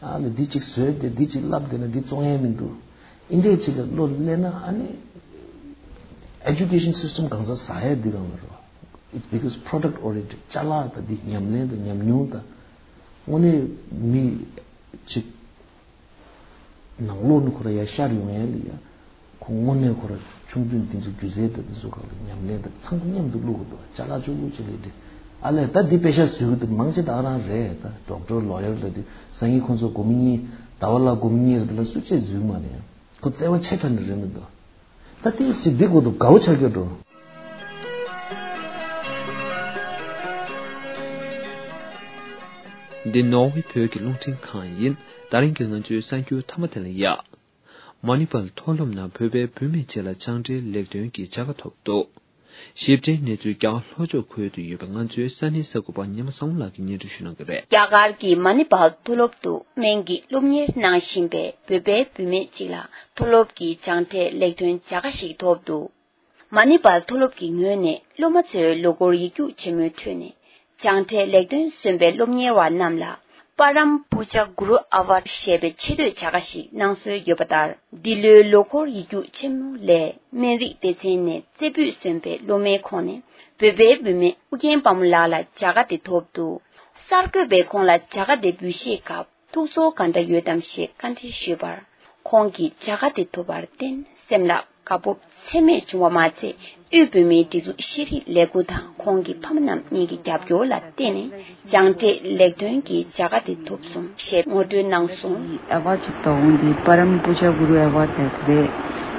ཨ་ལས་འདི་ཅིག་བཟོས་ཏེ་འདི་ཅིག་བསླབ་བསྡད་ན་འདི་བཙོང་ཡས་མི་འདུག་ཨིན་འདྲས་ཅིག་ལ་བློ་སླེབས་ན་ཨ་ནི་ཨེ་ཌུ་ཀེ་ཤན་སིས་ཊམ་གང་ཚང་ཟ་ཡས་འདི་གང་ལ་རེད་བ། It's because product oriented ཅ་ལག་དང་འདི་ཉམས་ལེན་དང་ཉམས་མྱོང་དང་དངོས་གནས་མི་ཅིག་ནང་ལོགས་ནས་ཁོ་ར་ཡར་ཤར་ཡོང་ཡས་ལ་ཡ། ཁོ་དངོས་གནས་ཁོ་ར་ཆུང་དུས་འདི་ཚོ་སྒྱུ་རྩལ་དང་འདི་ཚོ་སྒང་ལ་ཉམས་ལེན་དང་ཚང་མ་མཉམ་དུ་བླུག་གི་འདུག་ཅ་ལག་ཅུང་ལོག་ཅིག་ལས་འདི། ཨ་ལས་ད་འདི་པེ་ཤ་བཟོས་གི་འདུག་མང་ཆེ་ད་ཨ་རང་རེད། ད་ཌོག་ཊར་ལོ་ཡར་ལ་འདི་སང་ཉིན་ཁོ་ཚོ་སྒོར་མོ་གཉིས་ཟླ་བ་ལ་སྒོར་མོ་གཉིས་རེད། འདི་ལ་སུ་གཅིག་འཛུལ་མ་རེད། ཁོ་བརྩེ་བ་ཆེ་དྲགས་ནི་རེད་མི་འདུག་ད་ཏིག་ཙི་འདི་གོ་འདུག་དགའ་བོ་ཆགས་ཀྱི་འགྲོ། འདི་ནོར་ཝེ་བོད་ཀྱི་རླུང་འཕྲིན་ཁང་ཡིན། ད་རིང་གི་ང་ཚོའི་གསར་འགྱུར་མཐའ་མ་དེ་ལ་ཡ། མ་ནི་པཱལ་མཐོ་སློབ་ནང་བོད་པའི་བུད་མེད་ཅིག་ལ་སྦྱངས་འབྲས་ལེགས་ཐོན་གྱི་བྱ་དགའ་ཐོབ་འདུག་ཞིབ་ཕྲའི་གནས་ཚུལ་རྒྱ་གར་ལྷོ་ཕྱོགས་ཁུལ་དུ་ཡོད་པའི་ང་ཚོའི་ས་གནས་གསར་འགོད་པ་ཉི་མ་བསམ་ལགས་ཀྱིས་སྙན་སྒྲོན་ཞུ་གནང་གི་རེད། རྒྱ་གར་གྱི་མ་ནི་པཱལ་མཐོ་སློབ་ཏུ་སྨན་གྱི་སློབ་གཉེར་གནང་བཞིན་པའི་བོད་པའི་བུད་མེད་ཅིག་ལ་མཐོ་སློབ་ཀྱི་སྦྱངས་འབྲས་ལེགས་ཐོན་བྱ་དགའ་ཞིག་ཐོབ་འདུག་མ་ནི་པཱལ་མཐོ་སློབ་ཀྱི་ངོས་ནས་སློབ་མ་ཚོའི་ལོ་འཁོར་ཡིག་རྒྱུགས་ཆེན་མོའི་ཁྲོད་ནས་སྦྱངས་འབྲས་ལེགས་ཐོན་སོན་པའི་སློབ་གཉེར་བ་རྣམས་ལ་པཱ་རམ་པུ་ཇ་གུ་རུ་ཨ་ཝར་ཞེས་པའི་ཆེ་བསྟོད་བྱ་དགའ་ཞིག་གནང་སྲོལ་ཡོད་པ་ལྟར། འདི་ལོའི་ལོ་འཁོར་ཡིག་རྒྱུགས་ཆེན་མོ་ལས་སྨན་རིགས་སྡེ་ཚན་ནས་རྩེ་ཕུད་སོན་པའི་སློབ་མའི་ཁོངས་ནས་བོད་པའི་བུད་མེད་ཨུ་རྒྱན་དཔའ་མོ་ལགས་ལ་བྱ་དགའ་དེ་ཐོབ་འདུག་གསར་འགོད་པས་ཁོང་ལ་བྱ་དགའ་དེ་འབུལ་བཞེས་སྐབས། ཐུགས་ཚོར་ག་འདྲ་ཡོད་དམ་ཞེས་བཀའ་འདྲི་ཞུས་པར། ཁོང་གིས་བྱ་དགའ་དེ་ཐོབ་པར་བརྟེན་སེམས་ལ་དགའ་སྤོབས་ཚད་མེད་བྱུང་བ་མ་ཚད། དབུས་བོད་མིའི་སྒྲིག་འཛུགས་ཤེས་རིག་ལས་ཁུངས་དང་ཁོང་གི་ཕ་མ་རྣམས་གཉིས་ཀྱི་རྒྱབ་སྐྱོར་ལ་བརྟེན་ནས་སྦྱངས་འབྲས་ལེགས་ཐོན་གྱི་བྱ་དགའ་དེ་ཐོབ་སོང་ཞེས་ངོ་སྤྲོད་གནང་སོང་། ཨེ་ཝཱཌ་ཅིག་དང་འོན་ཏེ་པ་རམ་པུ་ཇ་གུ་རུ་ཨེ་ཝཱཌ་དེ་རེད།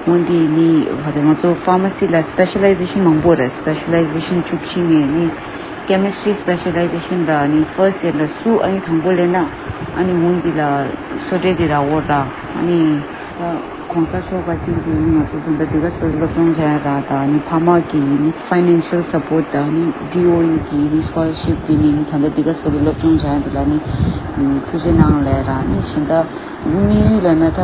འོན་ཏེ་ནི་ག་རེ་ང་ཚོ་ཕ་མ་སི་ལ་སི་པེ་ཤ་ལའི་ཟེ་ཤན་མང་པོ་རེད། སི་པེ་ཤ་ལའི་ཟེ་ཤན་བཅུ་བཞི་ནས་ནི། ཀེ་མི་སི་ཊི་རི་སི་པེ་ཤ་ལའི་ཟེ་ཤན་ལ་ནི་ཕར་སི་ཡར་ལ་སུ་ཨ་ནི་དང་པོ་ལེན་ན་ཨ་ནི་འོན་འདི་ལ་སོ་ཊའི་འདི་ར་འོ་ར་ཨ་ནི་གོང་ས་མཆོག་ག་ཅིག་གི་ནི་ང་ཚོ་ཚོ་འདི་ག་ཚོད་སློབ་སྦྱོང་བྱ་ཡ་ར་ད་ནི་ཕ་མ་གི་ནི་ཕའི་ནན་ཤལ་སབ་པོར་ཊི་ད་ནི་ཌི་ཨོ་ཨི་གི་ནི་སི་ཀོ་ལར་ཤིབ་གི་ནི་ད་ལྟ་འདི་ག་ཚོད་སློབ་སྦྱོང་བྱ་ཡ་འདི་ལ་ནི་ཐུགས་རྗེ་གནང་ལེ་ར་ནི་གཞན་དག་དམིགས་ཡུལ་ལ་ན་ད་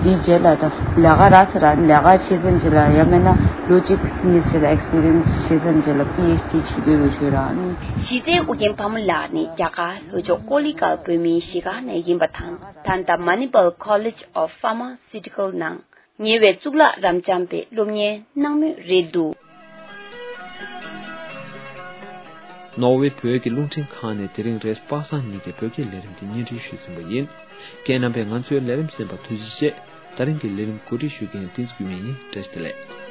འདིའི་རྗེས་ལ་ད་ལས་ཀ་རག་ཚར་ར་ལས་ཀ་བྱེད་མཚམས་ཅིག་ལ་ཡང་མིན་ན་ལོ་གཅིག་ཕྱིན་ནས་ཅིག་ལ་ཨེག་སི་པི་རི་ཡན་སི་བྱེད་མཚམས་ཅིག་ལ་པི་ཨེཆ་ཌི་བྱེད་འདོད་ཡོད་ཞུས་ར་ནི། གཞི་རྩའི་ཨུ་རྒྱན་ཕ་མ་ལགས་ནི་རྒྱ་གར་ལྷོ་ཕྱོགས་ཀོ་ལི་གྷལ་བོད་མིའི་གཞིས་སྒར་ནས་ཡིན་པ་དང་ད་ལྟ་Manipal College of Pharmaceutical ནང་ཉེ་བའི་གཙུག་ལག་རབ་འབྱམས་པའི་སློབ་གཉེར་གནང་མུས་རེད་འདུག་ནོར་ཝེ་བོད་ཀྱི་རླུང་འཕྲིན་ཁང་ནས་དེ་རིང་རེས་པ་སངས་ཉིན་གྱི་བོད་སྐད་ལས་རིམ་དེ་སྙན་སྒྲོན་ཞུས་ཟིན་པ་ཡིན། ཁྱེད་རྣམ་པས་ང་ཚོའི་ལས་རིམ་གསན་པར་ཐུགས་རྗེ་ཆེ། ད་རིང་གི་ལས་རིམ་གོ་སྒྲིག་ཞུ་མཁན་བསྟན་འཛིན་ཀུན་སྨོན་ཡིན། བཀྲ་ཤིས་བདེ་ལེགས།